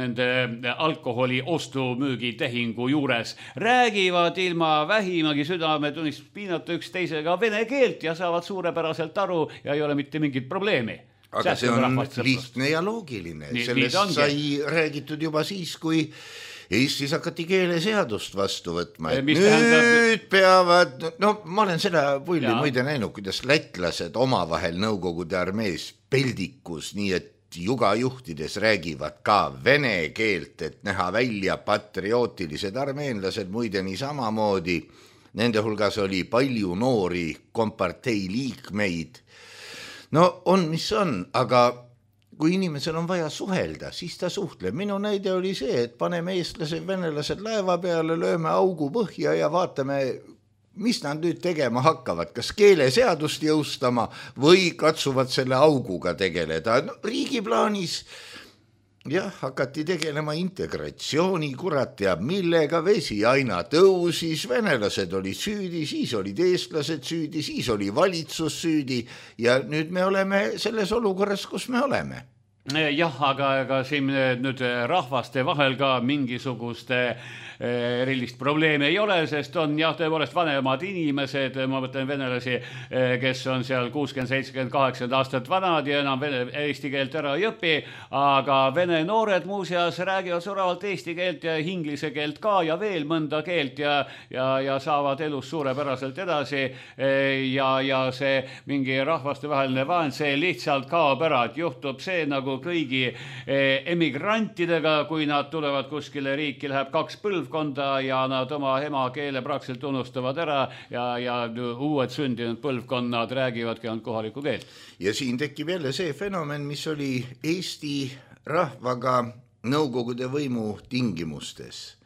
nende alkoholi ostumüügi tehingu juures räägivad ilma vähimagi südametunnist piinata üksteisega vene keelt ja saavad suurepäraselt aru ja ei ole mitte mingit probleemi. Aga see on lihtne ja loogiline. Sellest sai räägitud juba siis, kui Eestis hakati keeleseadust vastu võtma. Nüüd peavad, ma olen seda pulli muide näinud, kuidas lätlased omavahel Nõukogude armees peldikus, nii et jugajuhtides räägivad ka vene keelt, et näha välja patriootilised armeenlased muide nii samamoodi. Nende hulgas oli palju noori kompartei liikmeid. On mis on, aga kui inimesel on vaja suhelda, siis ta suhtleb. Minu näide oli see, et paneme eestlased, venelased laeva peale, lööme augu põhja ja vaatame, mis nad nüüd tegema hakkavad, kas keeleseadust jõustama või katsuvad selle auguga tegeleda. Riigi plaanis hakati tegelema integratsiooni, kurat teab millega, vesi aina tõusis, venelased olid süüdi, siis olid eestlased süüdi, siis oli valitsus süüdi ja nüüd me oleme selles olukorras, kus me oleme. Jah, aga siin nüüd rahvaste vahel ka mingisugust erilist probleemi ei ole, sest on tõepoolest vanemad inimesed, ma mõtlen venelasi, kes on seal 60-70-80 aastat vanad ja enam eesti keelt ära ei õpi, aga vene noored muuseas räägivad soravalt eesti keelt ja inglise keelt ka ja veel mõnda keelt ja saavad elus suurepäraselt edasi ja see mingi rahvastevaheline vaen, see lihtsalt kaob ära, et juhtub see nagu kõigi emigrantidega, kui nad tulevad kuskile riiki, läheb 2 põlvkonda ja nad oma emakeele praktiliselt unustavad ära ja uued sündinud põlvkonnad räägivadki ainult kohalikku keelt. Ja siin tekib jälle see fenomen, mis oli Eesti rahvaga Nõukogude võimu tingimustes.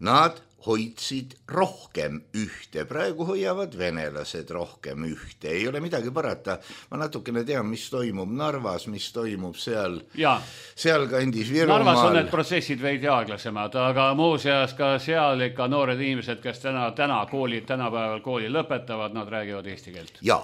Nad hoidsid rohkem ühte, praegu hoiavad venelased rohkem ühte, ei ole midagi parata. Ma natukene tean, mis toimub Narvas, mis toimub seal kandis Virumaal. Narvas on need protsessid veidi aeglasemad, aga muuseas ka seal ikka noored inimesed, kes tänapäeval kooli lõpetavad, nad räägivad eesti keelt. Ja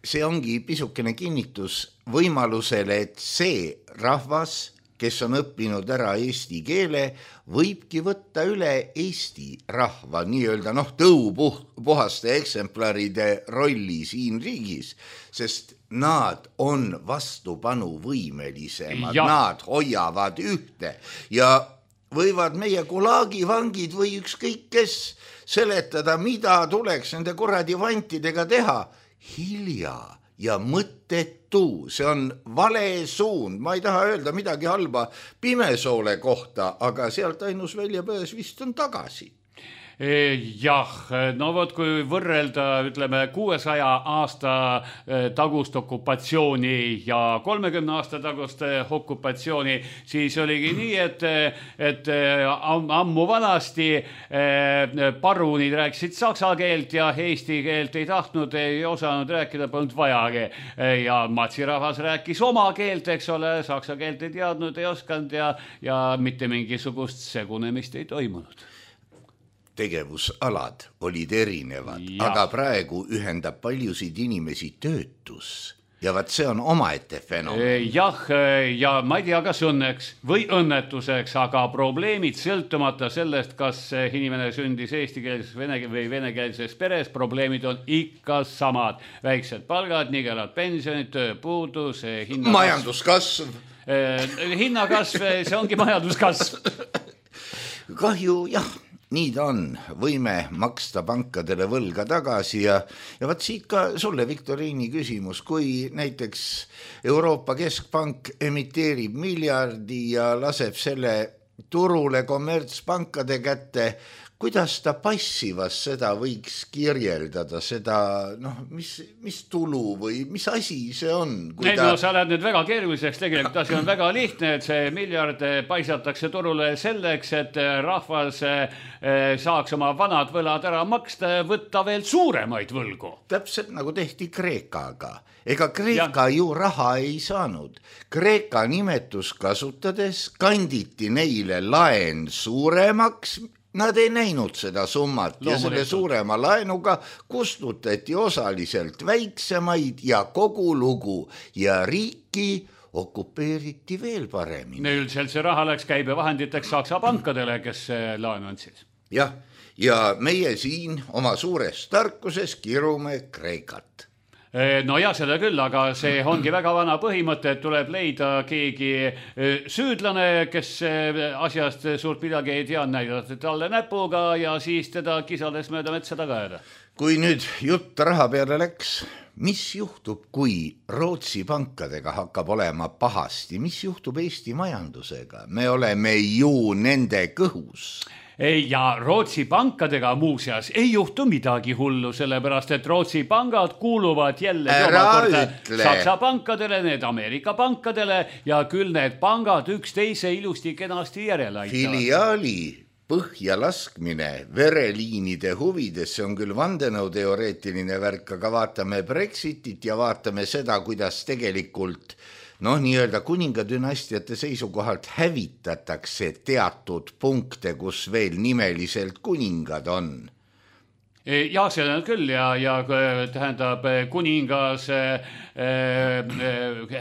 see ongi pisukene kinnitus võimalusele, et see rahvas kes on õppinud ära eesti keele, võibki võtta üle Eesti rahva nii-öelda tõupuhaste eksemplaride rolli siin riigis, sest nad on vastupanuvõimelisemad, nad hoiavad ühte ja võivad meie gulagivangid või ükskõik kes seletada, mida tuleks nende kuradi vantidega teha. Hilja ja mõttetu, see on vale suund, ma ei taha öelda midagi halba Pimesoole kohta, aga sealt ainus väljapääs vist on tagasi. Jah, no vot, kui võrrelda, ütleme, 600 aasta tagust okupatsiooni ja 30 aasta tagust okupatsiooni, siis oligi nii, et ammu vanasti parunid rääkisid saksa keelt ja eesti keelt ei tahtnud, ei osanud rääkida, polnud vajagi. Ja matsirahvas rääkis oma keelt, eks ole, saksa keelt ei teadnud, ei osanud ja mitte mingisugust segunemist ei toimunud. Tegevusalad olid erinevad, aga praegu ühendab paljusid inimesi töötus ja vaat see on omaette fenomen. Jah, ja ma ei tea, kas õnneks või õnnetuseks, aga probleemid sõltumata sellest, kas inimene sündis eestikeelses või venekeelses peres, probleemid on ikka samad. Väiksed palgad, nigelad pensionid, tööpuudus, majanduskasv. Hinnakasv, see ongi majanduskasv. Kahju, jah. Nii ta on, võime maksta pankadele võlga tagasi ja vaat siit ka sulle, Viktoriini küsimus, kui näiteks Euroopa Keskpank emiteerib miljardi ja laseb selle turule kommertspankade kätte, kuidas ta passivas seda võiks kirjeldada, seda, mis tulu või mis asi see on? No sa lähed nüüd väga keeruliseks, tegelikult asi on väga lihtne, et see miljard paisatakse turule selleks, et rahvas saaks oma vanad võlad ära maksta ja võtta veel suuremaid võlgu. Täpselt nagu tehti Kreekaga. Ega Kreeka ju raha ei saanud. Kreeka nimetus kasutades kanditi neile laen suuremaks. Nad ei näinud seda summat ja selle suurema laenuga kustutati osaliselt väiksemaid ja kogu lugu ja riiki okupeeriti veel paremini. Üldiselt see raha läks käibevahenditeks Saksa pankadele, kes laenu andsid. Jah, ja meie siin oma suures tarkuses kirume Kreekat. No ja seda küll, aga see ongi väga vana põhimõte, et tuleb leida keegi süüdlane, kes asjast suurt midagi ei tea, näidata talle näpuga ja siis teda kisades mööda metsa taga jääda. Kui nüüd jutt raha peale läks, mis juhtub, kui Rootsi pankadega hakkab olema pahasti? Mis juhtub Eesti majandusega? Me oleme ju nende kõhus. Ja Rootsi pankadega muuseas ei juhtu midagi hullu, sellepärast et Rootsi pangad kuuluvad jälle Saksa pankadele, need Ameerika pankadele ja küll need pangad üksteise ilusti kenasti järele aitavad. Filiaali põhja laskmine vereliinide huvides, see on küll vandenõuteoreetiline värk, aga vaatame Brexitit ja vaatame seda, kuidas tegelikult nii-öelda kuningadünastiate seisukohalt hävitatakse teatud punkte, kus veel nimeliselt kuningad on. Ja see on küll ja tähendab, kuningas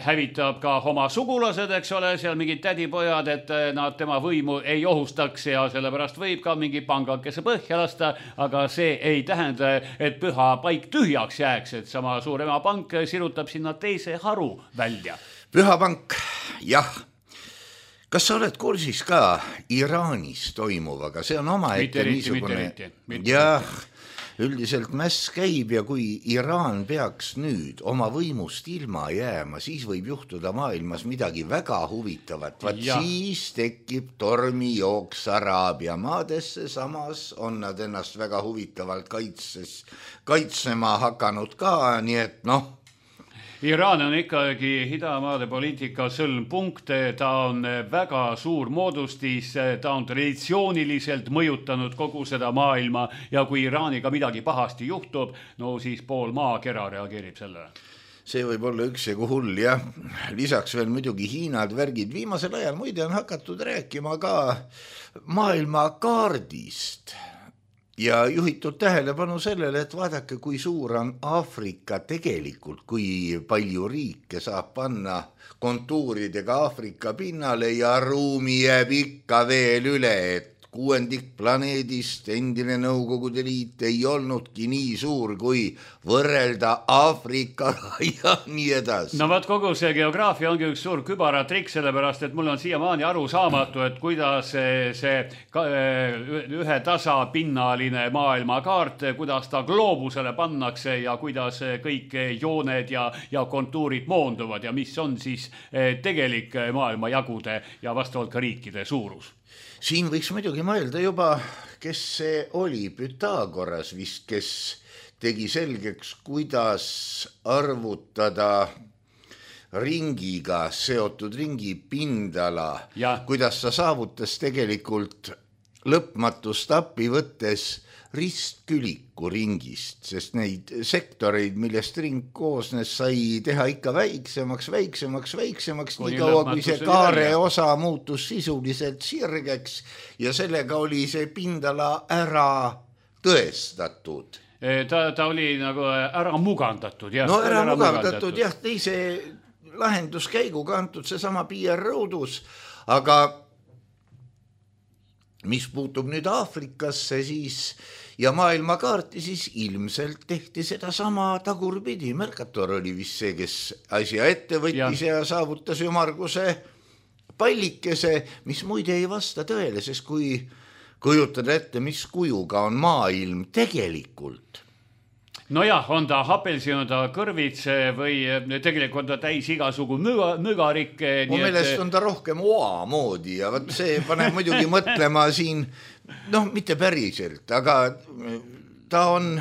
hävitab ka oma sugulased, eks ole, seal mingid tädipojad, et nad tema võimu ei ohustaks ja sellepärast võib ka mingi pangakese põhja lasta, aga see ei tähenda, et püha paik tühjaks jääks, et sama suurema pank sirutab sinna teise haru välja. Pühapank, jah. Kas sa oled kursis ka Iraanis toimuvaga? See on omaette niisugune... Jah, üldiselt mäss käib ja kui Iraan peaks nüüd oma võimust ilma jääma, siis võib juhtuda maailmas midagi väga huvitavat. Vaat siis tekib tormijooks Araabia maadesse, samas on nad ennast väga huvitavalt kaitsema hakanud ka, nii et Iraan on ikkagi idamaade poliitika sõlmpunkt, ta on väga suur moodustis, ta on traditsiooniliselt mõjutanud kogu seda maailma ja kui Iraaniga midagi pahasti juhtub, siis pool maakera reageerib sellele. See võib olla üksjagu hull, jah. Lisaks veel muidugi Hiinad värgid. Viimasel ajal muide on hakatud rääkima ka maailma kaardist. ja juhitud tähelepanu sellele, et vaadake, kui suur on Aafrika tegelikult, kui palju riike saab panna kontuuridega Aafrika pinnale ja ruumi jääb ikka veel üle, et 6% planeedist endine Nõukogude Liit ei olnudki nii suur, kui võrrelda Aafrikaga ja nii edasi. No vaat kogu see geograafia ongi üks suur kübaratrikk, sellepärast, et mul on siiamaani aru saamatu, et kuidas see ühe tasapinnaline maailmakaart, kuidas ta gloobusele pannakse ja kuidas kõik jooned ja kontuurid moonduvad ja mis on siis tegelik maailmajagude ja vastavalt ka riikide suurus. Siin võiks muidugi mõelda juba, kes see oli, Pythagoras vist, kes tegi selgeks, kuidas arvutada ringiga seotud ringi pindala, kuidas ta saavutas tegelikult lõpmatust appi võttes ristküliku ringist, sest neid sektoreid, millest ring koosnes, sai teha ikka väiksemaks, nii kaua, kui see kaare osa muutus sisuliselt sirgeks ja sellega oli see pindala ära tõestatud. Ta oli nagu ära mugandatud. No ära mugandatud, jah, teise lahenduskäiguga antud seesama Pierre Roudus, aga mis puutub nüüd Aafrikasse siis ja maailmakaarti, siis ilmselt tehti seda sama tagurpidi. Mercator oli vist see, kes asja ette võttis ja saavutas ümmarguse pallikese, mis muide ei vasta tõele, sest kui kujutada ette, mis kujuga on maailm tegelikult. Nojah, on ta hapelsi, on ta kõrvitse või tegelikult on ta täis igasugu mügarikke. Mu meelest on ta rohkem oa moodi ja võt see paneb muidugi mõtlema siin, mitte päriselt, aga ta on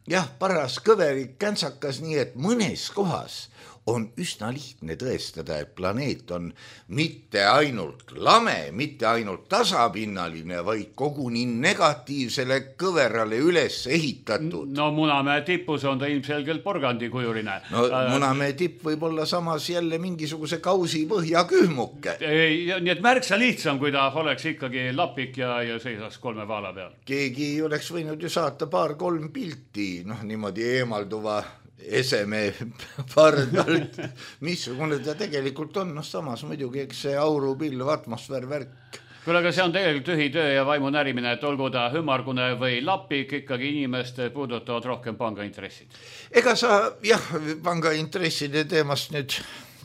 jah, paras kõverik käntsakas, nii et mõnes kohas on üsna lihtne tõestada, et planeet on mitte ainult lame, mitte ainult tasapinnaline, vaid koguni negatiivsele kõverale üles ehitatud. No Munamäe tipus on ta ilmselgelt porgandikujuline. No Munamäe tipp võib olla samas jälle mingisuguse kausi põhjakühmuke. Nii et märksa lihtsam, kui ta oleks ikkagi lapik ja seisaks 3 vaala peal. Keegi oleks võinud ju saata 2-3 pilti, niimoodi eemalduva eseme pardalt, missugune ta tegelikult on, samas muidugi, eks see aurupilv, atmosfäär, värk. Kuule, aga see on tegelikult tühi töö ja vaimu närimine, et olgu ta ümmargune või lapik, ikkagi inimest puudutavad rohkem pangaintressid. Ega sa, pangaintresside teemast nüüd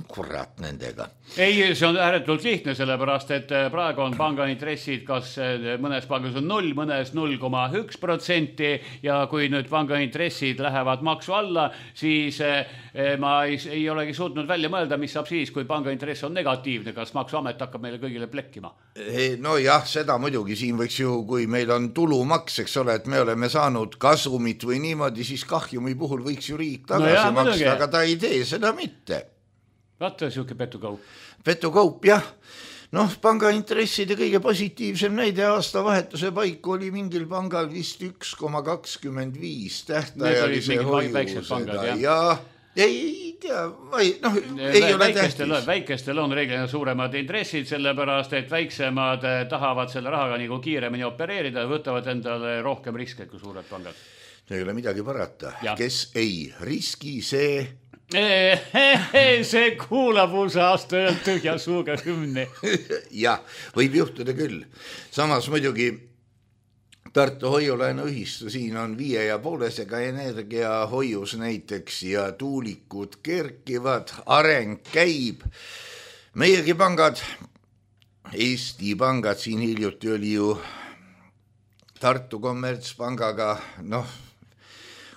kurat nendega. Ei, see on ääretult lihtne, sellepärast, et praegu on pangaintressid, kas mõnes pangas on 0, mõnes 0,1% ja kui nüüd pangaintressid lähevad maksu alla, siis ma ei olegi suutnud välja mõelda, mis saab siis, kui pangaintress on negatiivne, kas maksuamet hakkab meile kõigile plekkima? No jah, seda muidugi siin võiks ju, kui meil on tulumaks, eks ole, et me oleme saanud kasumit või niimoodi, siis kahjumi puhul võiks ju riik tagasi maksta, aga ta ei tee seda mitte. Vaata siuke petukaup. Petukaup, jah. Pangaintresside kõige positiivsem näide aastavahetuse paiku oli mingil pangal vist 1,25 tähtajalise hoiusega. Ja ei tea, ei ole tähtis. Väikestel on reeglina suuremad intressid, sellepärast, et väiksemad tahavad selle rahaga nagu kiiremini opereerida ja võtavad endale rohkem riske kui suured pangad. Ei ole midagi parata. Kes ei riski, see... See kuulapuusa aasta öölt tühja suuga hümni. Jah, võib juhtuda küll. Samas muidugi Tartu hoiulaenuühistu siin on 5,5-sega energiahoius näiteks ja tuulikud kerkivad, areng käib. Meiegi pangad, Eesti pangad, siin hiljuti oli ju Tartu kommertspangaga,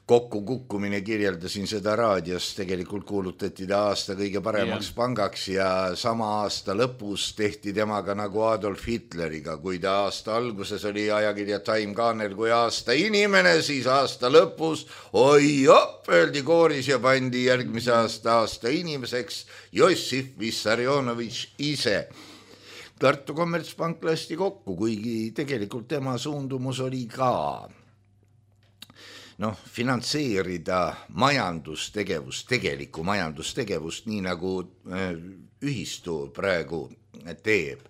kokkukukkumine, kirjeldasin seda raadios, tegelikult kuulutati ta aasta kõige paremaks pangaks ja sama aasta lõpus tehti temaga nagu Adolf Hitleriga, kui ta aasta alguses oli ajakirja Time Kaanel kui aasta inimene, siis aasta lõpus öeldi kooris ja pandi järgmise aasta inimeseks Jossif Vissarionovitš ise. Tartu kommertspank lasti kokku, kuigi tegelikult tema suundumus oli ka finantseerida majandustegevust, tegelikku majandustegevust, nii nagu ühistu praegu teeb.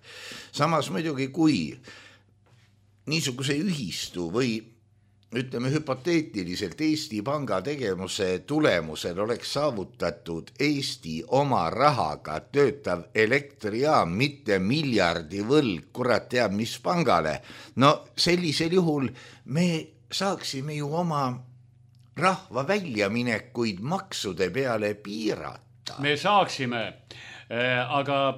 Samas muidugi, kui niisuguse ühistu või ütleme hüpoteetiliselt Eesti Panga tegevuse tulemusel oleks saavutatud Eesti oma rahaga töötav elektrijaam, mitte miljardi võlg, kurat teab mis pangale. No sellisel juhul me saaksime ju oma rahva väljaminekuid maksude peale piirata. Me saaksime, aga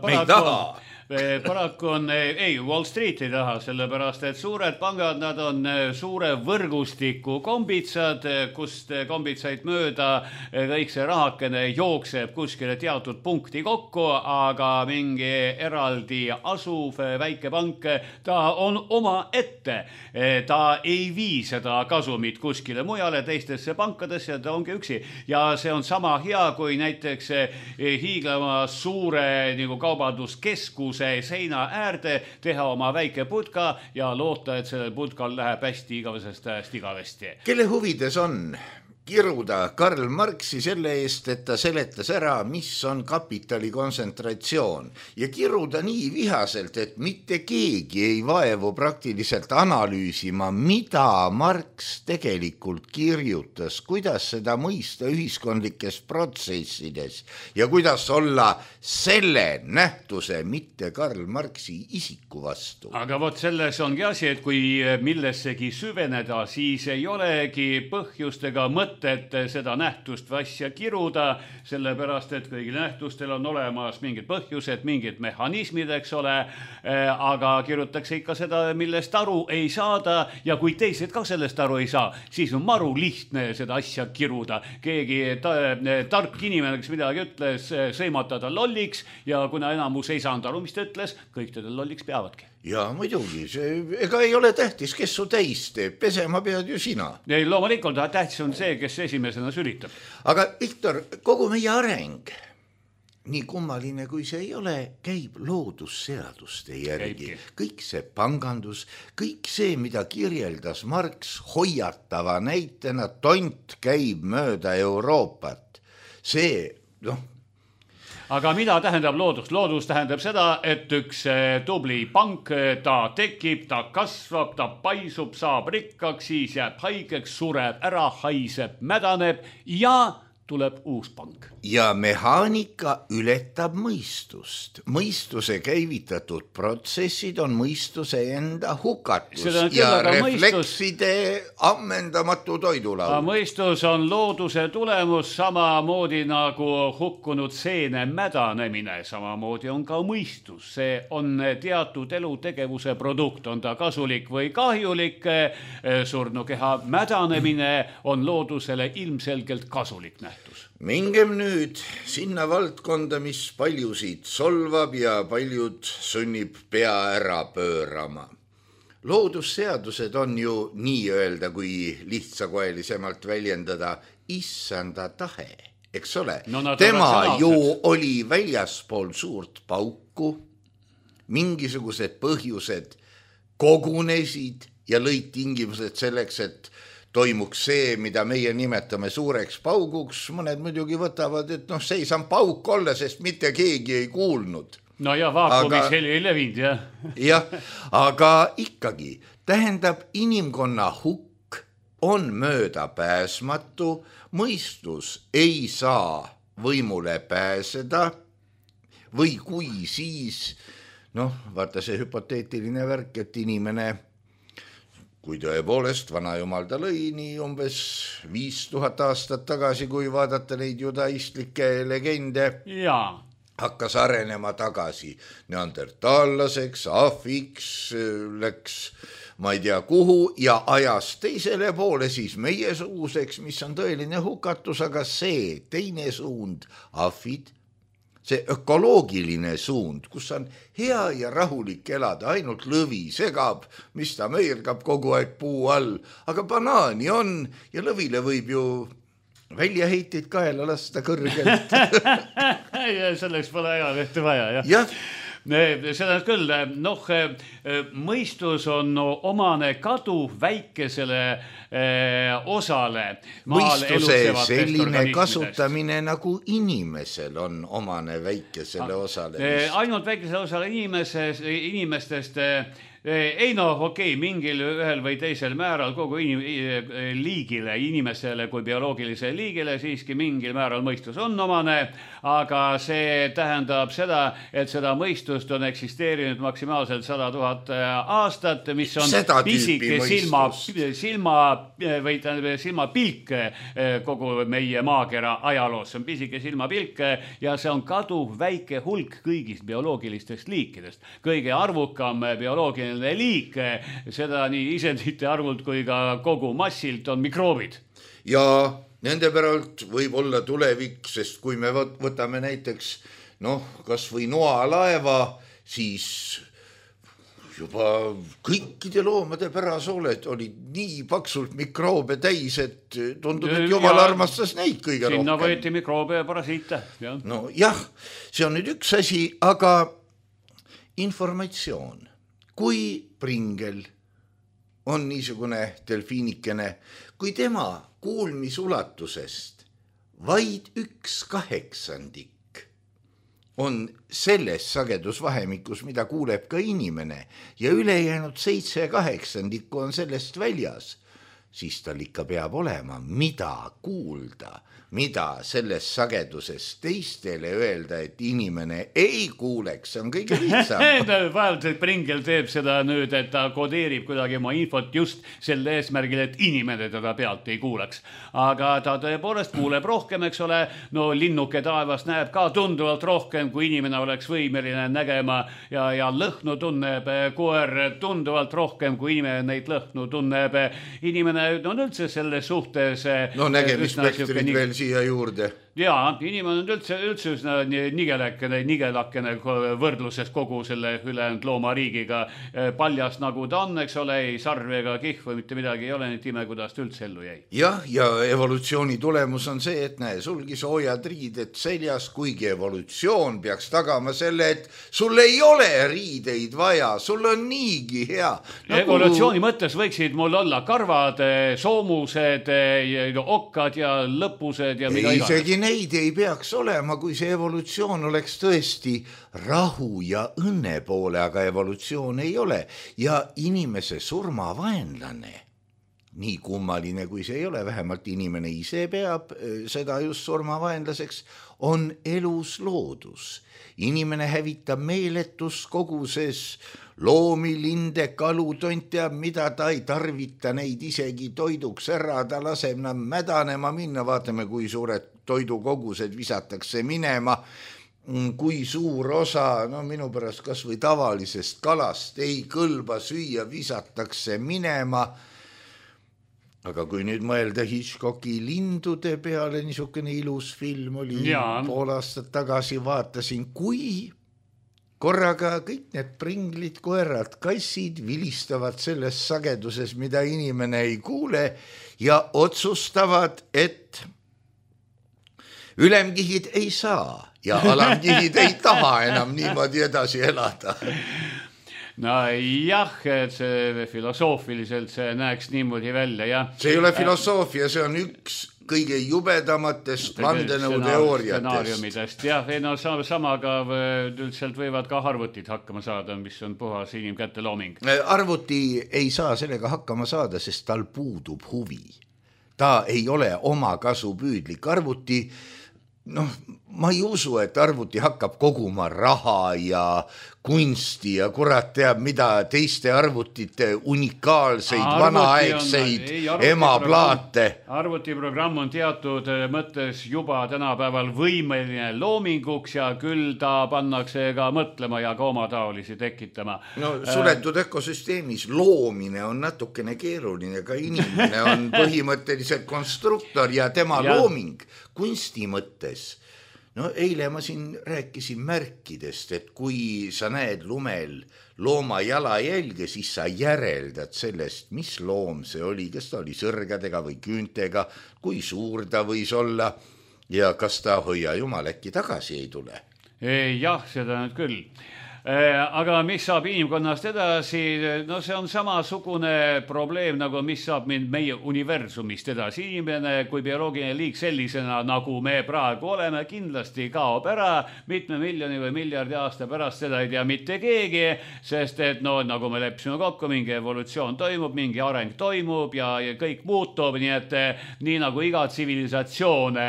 paraku on, ei, Wall Street ei taha, sellepärast, et suured pangad, nad on suure võrgustiku kombitsad, kust kombitsaid mööda kõik see rahakene jookseb kuskile teatud punkti kokku, aga mingi eraldi asuv väike pank, ta on oma ette. Ta ei vii seda kasumit kuskile mujale teistesse pankadesse ja ta ongi üksi. Ja see on sama hea, kui näiteks hiiglema suure nagu kaubanduskeskus seina äärde, teha oma väike putka ja loota, et sellel putkal läheb hästi igavesest igavesti. Kelle huvides on kiruda Karl Marxi selle eest, et ta seletas ära, mis on kapitali kontsentratsioon ja kiruda nii vihaselt, et mitte keegi ei vaevu praktiliselt analüüsima, mida Marx tegelikult kirjutas, kuidas seda mõista ühiskondlikes protsessides ja kuidas olla selle nähtuse, mitte Karl Marxi isiku vastu. Aga vot selles ongi asi, et kui millessegi süveneda, siis ei olegi põhjust ega mõtet seda nähtust või asja kiruda, sellepärast, et kõigil nähtustel on olemas mingid põhjused, mingid mehhanismid, eks ole, aga kirutakse ikka seda, millest aru ei saada ja kui teised ka sellest aru ei saa, siis on maru lihtne seda asja kiruda. Keegi tark inimene, kes midagi ütles, sõimata lolliks ja kuna enamus ei saanud aru, mis ta ütles, kõik teda lolliks peavadki. Ja muidugi, ega ei ole tähtis, kes su täis teeb, pesema pead ju sina. Ei, loomulikult tähtis on see, kes esimesena sülitab. Aga Viktor, kogu meie areng, nii kummaline kui see ei ole, käib loodusseaduste järgi. Kõik see pangandus, kõik see, mida kirjeldas Marx hoiatava näitena, tont käib mööda Euroopat. See, Aga mida tähendab loodus? Loodus tähendab seda, et üks tubli pank, ta tekib, ta kasvab, ta paisub, saab rikkaks, siis jääb haigeks, sureb ära, haiseb, mädaneb ja tuleb uus pank. Ja mehaanika ületab mõistust. Mõistuse käivitatud protsessid on mõistuse enda hukatus ja reflekside ammendamatu toidulaul. Mõistus on looduse tulemus samamoodi nagu hukkunud seene mädanemine. Samamoodi on ka mõistus. See on teatud elutegevuse produkt. On ta kasulik või kahjulik. Surnukeha mädanemine on loodusele ilmselgelt kasulik nähtus. Mingem nüüd sinna valdkonda, mis paljusid solvab ja paljud sunnib pea ära pöörama. Loodusseadused on ju nii öelda, kui lihtsakoelisemalt väljendada, issanda tahe, eks ole? Tema ju oli väljaspool suurt pauku, mingisugused põhjused kogunesid ja lõid tingimused selleks, et toimuks see, mida meie nimetame suureks pauguks. Mõned muidugi võtavad, et seisan pauk olla, sest mitte keegi ei kuulnud. No ja vaakumis heli ei levinud, jah. Jah, aga ikkagi tähendab inimkonna hukk on möödapääsmatu, mõistus ei saa võimule pääseda või kui siis, vaata see hüpoteetiline värk, et inimene kui tõepoolest vanajumal ta lõi nii umbes 5000 aastat tagasi, kui vaadata neid judaistlikke legende, hakkas arenema tagasi neandertallaseks, ahviks, läks ma ei tea kuhu ja ajas teisele poole siis meiesuguseks, mis on tõeline hukatus, aga see teine suund, ahvid, see ökoloogiline suund, kus on hea ja rahulik elada, ainult lõvi segab, mis ta meergab kogu aeg puu all, aga banaani on ja lõvile võib ju väljaheited kaela lasta kõrgelt. Ja selleks pole hea lehte vaja, jah. Jah. Seda küll, mõistus on omane kadu väikesele osale. Mõistuse selline kasutamine nagu inimesel on omane väikesele osale. Ainult väikesele osale inimestest Ei okei, mingil ühel või teisel määral kogu liigile, inimesele kui bioloogilisele liigile siiski mingil määral mõistus on omane, aga see tähendab seda, et seda mõistust on eksisteerinud maksimaalselt 100 000 aastat, mis on pisike silmapilk kogu meie maakera ajaloos. See on pisike silmapilk ja see on kaduv väike hulk kõigist bioloogilistest liikidest. Kõige arvukam bioloogiline liik, seda nii isendite arvult kui ka kogu massilt on mikroobid. Ja nende päralt võib olla tulevik, sest kui me võtame näiteks kas või noalaeva, siis juba kõikide loomade pärasooled olid nii paksult mikroobe täis, et tundub, et jumal armastas neid kõige rohkem. Sinna võeti mikroobe ja parasiite. No jah, see on nüüd üks asi, aga informatsioon. Kui Pringel on niisugune delfiinikene, kui tema kuulmisulatusest vaid 1/8 on selles sagedusvahemikus, mida kuuleb ka inimene ja ülejäänud 7/8 on sellest väljas, siis tal ikka peab olema, mida kuulda, mida selles sageduses teistele öelda, et inimene ei kuuleks, see on kõige lihtsam. Vahelt Pringel teeb seda nüüd, et ta kodeerib kuidagi oma infot just selle eesmärgil, et inimene teda pealt ei kuuleks. Aga ta tõepoolest kuuleb rohkem, eks ole, linnuke taevas näeb ka tunduvalt rohkem, kui inimene oleks võimeline nägema ja lõhnu tunneb koer tunduvalt rohkem, kui inimene neid lõhnu tunneb. Inimene on üldse selles suhtes... nägemisspektrid veel siia juurde. Jaa, inimene on üldse üsna nigelakene võrdluses kogu selle ülejäänud loomariigiga. Paljas nagu ta on, eks ole, ei sarve ega kihvu, mitte midagi ei ole, nii ime, kuidas ta üldse ellu jäi. Jah, ja evolutsiooni tulemus on see, et näe, sulgi soojad riided seljas, kuigi evolutsioon peaks tagama selle, et sul ei ole riideid vaja, sul on niigi hea. Evolutsiooni mõttes võiksid mul olla karvad, soomused, okkad ja lõpused ja mida iganes. Isegi neid ei peaks olema, kui see evolutsioon oleks tõesti rahu ja õnne poole, aga evolutsioon ei ole. Ja inimese surmavaenlane, nii kummaline kui see ei ole, vähemalt inimene ise peab seda just surmavaenlaseks, on elus loodus. Inimene hävitab meeletus koguses loomi, linde, kalu, tont teab, mida ta ei tarvita neid isegi toiduks ära, ta laseb nad mädanema minna, vaatame, kui suured toidukogused visatakse minema, kui suur osa, minu pärast kas või tavalisest kalast ei kõlba süüa, visatakse minema. Aga kui nüüd mõelda Hitchcocki lindude peale, niisugune ilus film oli pool aastat tagasi, vaatasin, kui korraga kõik need pringlid, koerad, kassid vilistavad selles sageduses, mida inimene ei kuule ja otsustavad, et ülemkihid ei saa ja alamkihid ei taha enam niimoodi edasi elada. No jah, et see filosoofiliselt see näeks niimoodi välja, jah. See ei ole filosoofia, see on üks kõige jubedamatest vandenõuteooriatest. Jah, samaga üldiselt võivad ka arvutid hakkama saada, mis on puhas inimkätte looming. Arvuti ei saa sellega hakkama saada, sest tal puudub huvi. Ta ei ole oma kasu püüdlik. Arvuti, ma ei usu, et arvuti hakkab koguma raha ja kunsti ja kurat teab mida teiste arvutite unikaalseid vanaaegseid emaplaate. Arvutiprogramm on teatud mõttes juba tänapäeval võimeline loominguks ja küll ta pannakse ka mõtlema ja ka oma taolisi tekitama. Suletud ökosüsteemis loomine on natukene keeruline, ka inimene on põhimõtteliselt konstruktor ja tema looming kunsti mõttes. Eile ma siin rääkisin märkidest, et kui sa näed lumel looma jalajälge, siis sa järeldad sellest, mis loom see oli, kas ta oli sõrgadega või küüntega, kui suur ta võis olla ja kas ta hoia jumal äkki tagasi ei tule. Jah, seda nüüd küll. Aga mis saab inimkonnast edasi? No see on samasugune probleem, nagu mis saab meie universumist edasi. Inimene kui bioloogiline liik sellisena, nagu me praegu oleme, kindlasti kaob ära mitme miljoni või miljardi aasta pärast, seda ei tea mitte keegi, sest et no nagu me leppisime kokku, mingi evolutsioon toimub, mingi areng toimub ja kõik muutub, nii et nii nagu iga tsivilisatsioon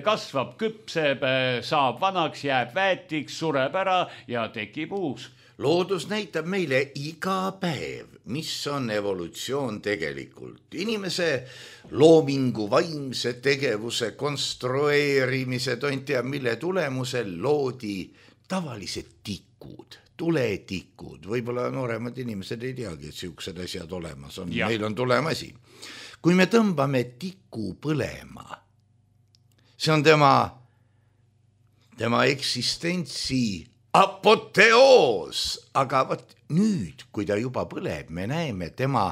kasvab, küpseb, saab vanaks, jääb väetiks, sureb ära ja tekib uus. Loodus näitab meile iga päev, mis on evolutsioon tegelikult. Inimese loomingu, vaimse tegevuse, konstrueerimise, tea, mille tulemusel loodi tavalised tikud, tuletikud. Võib-olla nooremad inimesed ei teagi, et siuksed asjad olemas on. Meil on tulemasi. Kui me tõmbame tiku põlema, see on tema eksistentsi apoteoos, aga võt nüüd, kui ta juba põleb, me näeme tema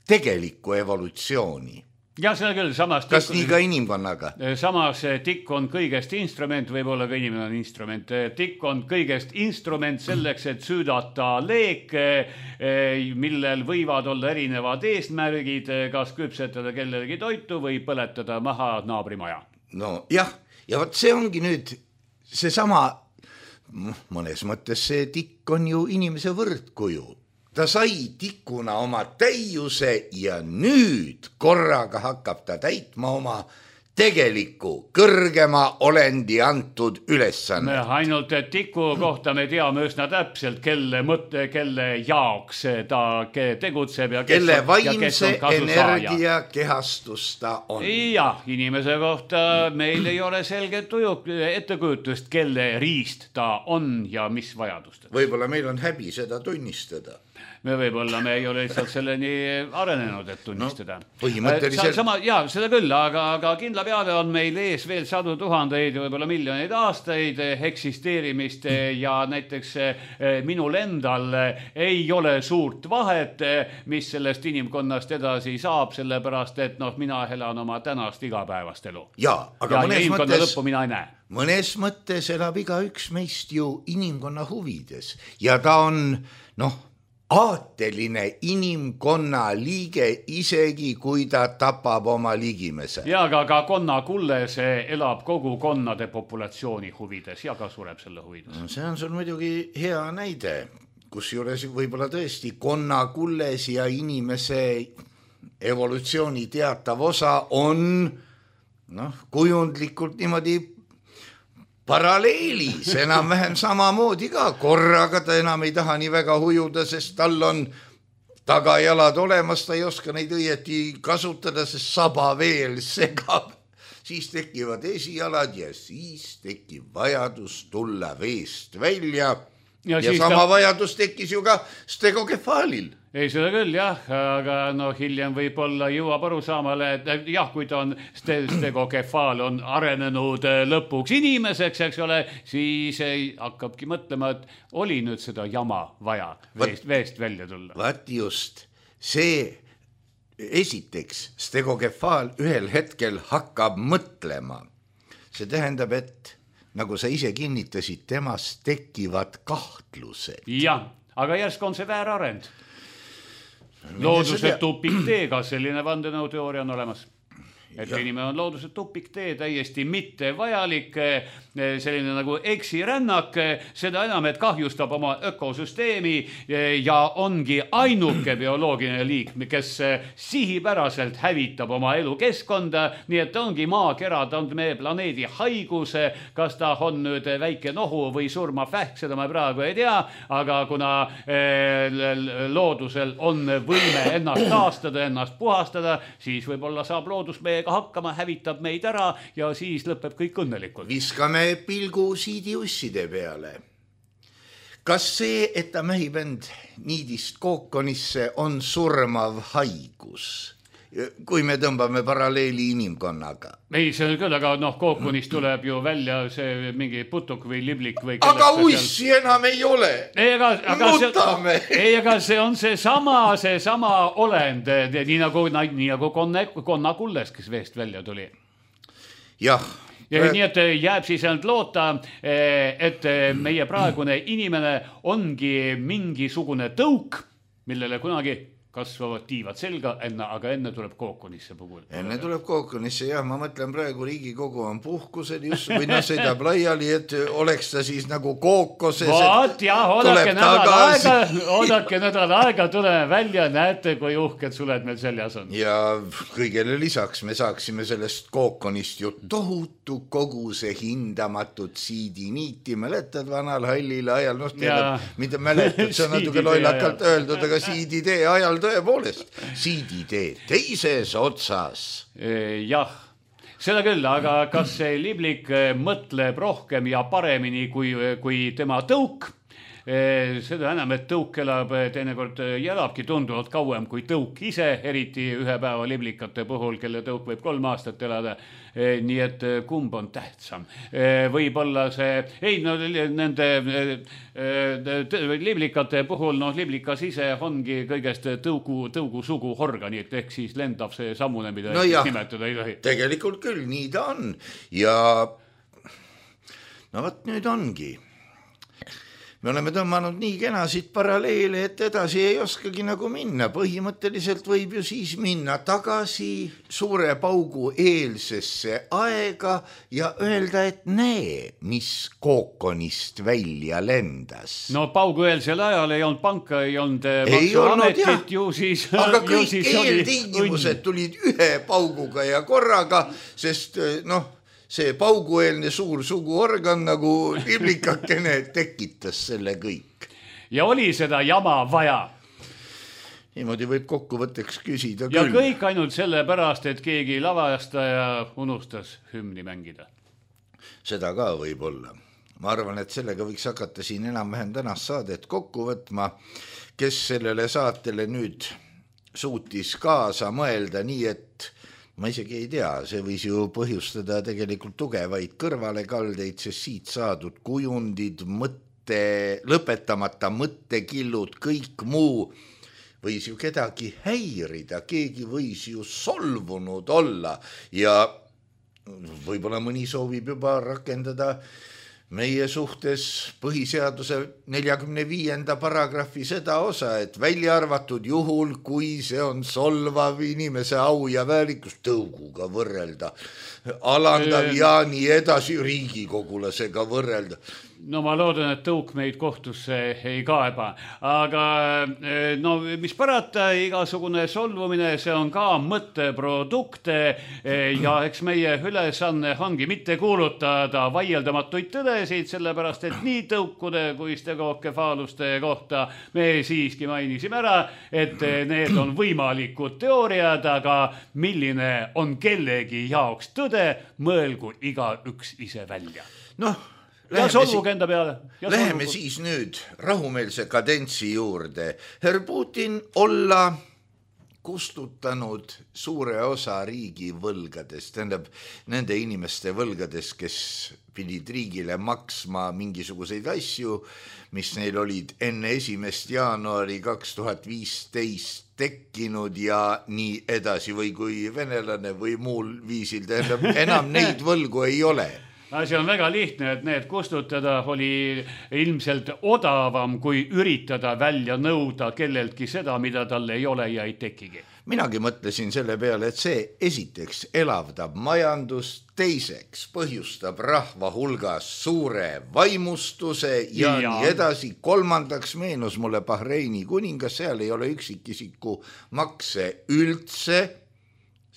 tegelikku evolutsiooni. Ja seda küll, samas kas nii ka inimkonnaga? Samas tikk on kõigest instrument, võib-olla ka inimene on instrument. Tikk on kõigest instrument selleks, et süüdata leek, millel võivad olla erinevad eesmärgid, kas küpsetada kellelegi toitu või põletada maha naabrimaja. No jah, ja võt see ongi nüüd seesama, mõnes mõttes see tikk on ju inimese võrdkuju. Ta sai tikuna oma täiuse ja nüüd korraga hakkab ta täitma oma tegeliku kõrgema olendi antud ülesanne. Ainult tiku kohta me teame üsna täpselt, kelle jaoks ta tegutseb ja kelle vaimse energia kehastus ta on. Jah, inimese kohta meil ei ole selget ettekujutust, kelle riist ta on ja mis vajadustel. Võib-olla meil on häbi seda tunnistada. Võib-olla me ei ole lihtsalt selleni arenenud, et tunnistada. No, põhimõtteliselt... seda küll, aga kindla peale on meil ees veel sadu tuhandeid ja võib-olla miljoneid aastaid eksisteerimist ja näiteks minul endal ei ole suurt vahet, mis sellest inimkonnast edasi saab, sellepärast et mina elan oma tänast igapäevast elu. Ja inimkonna lõppu mina ei näe. Mõnes mõttes elab igaüks meist ju inimkonna huvides ja ta on, aateline inimkonna liige, isegi kui ta tapab oma ligimese. Ja aga konnakulles elab kogu konnade populatsiooni huvides ja ka sureb selle huvides. No, see on sul muidugi hea näide, kus juures võib-olla tõesti konnakulles ja inimese evolutsiooni teatav osa on kujundlikult niimoodi paralleelis, enam-vähem samamoodi ka. Korraga ta enam ei taha nii väga hujuda, sest tal on tagajalad olemas, ta ei oska neid õieti kasutada, sest saba veel segab. Siis tekivad esijalad ja siis tekib vajadus tulla veest välja. Ja sama vajadus tekkis ju ka stegokefaalil. Ei, seda küll, jah, aga hiljem võib-olla jõuab arusaamale, et jah, kui ta on stegokefaal on arenenud lõpuks inimeseks, eks ole, siis hakkabki mõtlema, et oli nüüd seda jama vaja veest välja tulla. Vaat just, see esiteks stegokefaal ühel hetkel hakkab mõtlema. See tähendab, et nagu sa ise kinnitasid, temast tekivad kahtlused. Jah, aga järsk on see väärarend. Looduse tupikteega selline vandenõuteooria on olemas. Et inimene on looduse tupiktee, täiesti mitte vajalik, selline nagu eksirännak, seda enam, et kahjustab oma ökosüsteemi ja ongi ainuke bioloogiline liik, kes sihipäraselt hävitab oma elukeskkonda, nii et ongi maakera, ta on meie planeedi haigus, kas ta on nüüd väike nohu või surmavähk, seda ma praegu ei tea, aga kuna loodusel on võime ennast taastada, ennast puhastada, siis võib-olla saab loodus meiega hakkama, hävitab meid ära ja siis lõpeb kõik õnnelikult. Viskame pilgu siidiusside peale. Kas see, et ta mähib end niidist kookonisse, on surmav haigus? Kui me tõmbame paralleeli inimkonnaga. Ei, see on küll, aga kookonist tuleb ju välja see mingi putuk või liblik või aga ussi enam ei ole. Mutame. Aga see on see sama olend, nii nagu konnakulles, kes veest välja tuli. Jah, Ja nii, et jääb siis ainult loota, et meie praegune inimene ongi mingisugune tõuk, millele kunagi kasvavad tiivad selga, aga enne tuleb kookonisse puhul. Enne tuleb kookonisse, jah, ma mõtlen praegu Riigikogu on puhkusel just, või noh, sõidab laiali, et oleks ta siis nagu kookoses. Vaat jah, oodake nädal aega, tuleme välja, näete, kui uhked suled meil seljas on. Ja kõigele lisaks me saaksime sellest kookonist ju tohutu koguse hindamatut siidiniiti, mäletad vanal hallil ajal, noh, mida mäletad, see on natuke lollakalt öeldud, aga siiditee ajal tõepoolest, siiditee teises otsas. Jah, seda küll, aga kas see liblik mõtleb rohkem ja paremini kui tema tõuk? Seda enam, et tõuk elab teinekord ja elabki tunduvalt kauem kui tõuk ise, eriti ühe päeva liblikate puhul, kelle tõuk võib 3 aastat elada. Nii et kumb on tähtsam? Võib-olla see, nende liblikate puhul, liblikas ise ongi kõigest tõugu sugu organit, ehk siis lendav see sammune, mida nimetada ei tohi. Tegelikult küll, nii ta on. Ja no võt nüüd ongi. Me oleme tõmmanud nii kenasid paralleele, et edasi ei oskagi nagu minna. Põhimõtteliselt võib ju siis minna tagasi suure paugu eelsesse aega ja öelda, et näe, mis kookonist välja lendas. No paugu eelsel ajal ei olnud panka, ei olnud maksuametit, ju siis... Aga kõik eeltingimused tulid ühe pauguga ja korraga, sest see paugueelne suur suguorgan nagu liblikakene tekitas selle kõik. Ja oli seda jama vaja. Niimoodi võib kokkuvõtteks küsida küll. Ja kõik ainult selle pärast, et keegi lavastaja unustas hümni mängida. Seda ka võib olla. Ma arvan, et sellega võiks hakata siin enam-vähem tänast saadet kokku võtma, kes sellele saatele nüüd suutis kaasa mõelda nii, et ma isegi ei tea, see võis ju põhjustada tegelikult tugevaid kõrvalekaldeid, sest siit saadud kujundid, lõpetamata mõttekillud, kõik muu võis ju kedagi häirida, keegi võis ju solvunud olla ja võib-olla mõni soovib juba rakendada meie suhtes põhiseaduse 45. paragrahvi seda osa, et välja arvatud juhul, kui see on solvav inimese au ja väärikust tõuguga võrrelda, alandav ja nii edasi riigikogulasega võrrelda. No ma loodan, et tõuk meid kohtusse ei kaeba, aga mis parata, igasugune solvumine, see on ka mõtteprodukt ja eks meie ülesanne ongi mitte kuulutada vaieldamatuid tõdesid, sellepärast et nii tõukude kui stegokefaaluste kohta me siiski mainisime ära, et need on võimalikud teooriad, aga milline on kellegi jaoks tõde, mõelgu igaüks ise välja. Läheme siis nüüd rahumeelse kadentsi juurde. Herr Putin olla kustutanud suure osa riigi võlgadest, nende inimeste võlgadest, kes pidid riigile maksma mingisuguseid asju, mis neil olid enne 1. jaanuari 2015 tekkinud ja nii edasi või kui venelane või muul viisil, enam neid võlgu ei ole. Asi on väga lihtne, et need kustutada oli ilmselt odavam, kui üritada välja nõuda kelleltki seda, mida tal ei ole ja ei tekigi. Minagi mõtlesin selle peale, et see esiteks elavdab majandust, teiseks põhjustab rahva hulgas suure vaimustuse ja nii edasi. Kolmandaks meenus mulle Bahreini kuningas, seal ei ole üksikisiku makse üldse,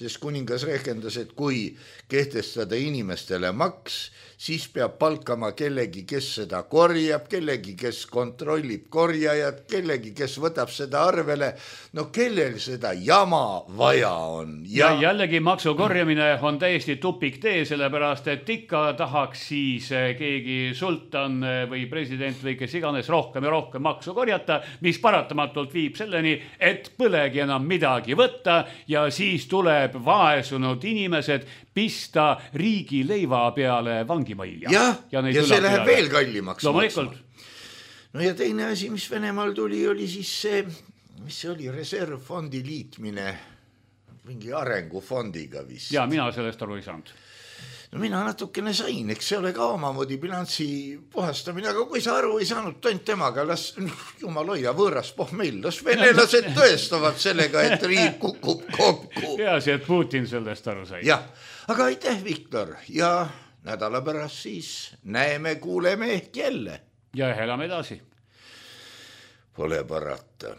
sest kuningas rehkendas, et kui kehtestada inimestele maks, siis peab palkama kellegi, kes seda korjab, kellegi, kes kontrollib korjajat, kellegi, kes võtab seda arvele. No kellel seda jama vaja on? Ja jällegi maksu korjamine on täiesti tupik tee, sellepärast, et ikka tahaks siis keegi sultan või president või kes iganes rohkem ja rohkem maksu korjata, mis paratamatult viib selleni, et põlegi enam midagi võtta ja siis tuleb vaesunud inimesed pista riigi leiva peale vangimajja. Ja see läheb veel kallimaks maksma. No ja teine asi, mis Venemaal tuli, oli siis see, mis see oli, reservfondi liitmine mingi arengufondiga vist. Ja mina sellest aru ei saanud. no mina natukene sain, eks see ole ka omamoodi bilansi puhastamine, aga kui sa aru ei saanud, tont temaga, las jumal hoia võõras pohmell, las venelased tõestavad sellega, et riik kukub kokku. Hea see, et Putin sellest aru sai. Jah, aga aitäh, Viktor, ja nädala pärast siis näeme, kuuleme ehk jälle. Ja elame edasi. Pole parata.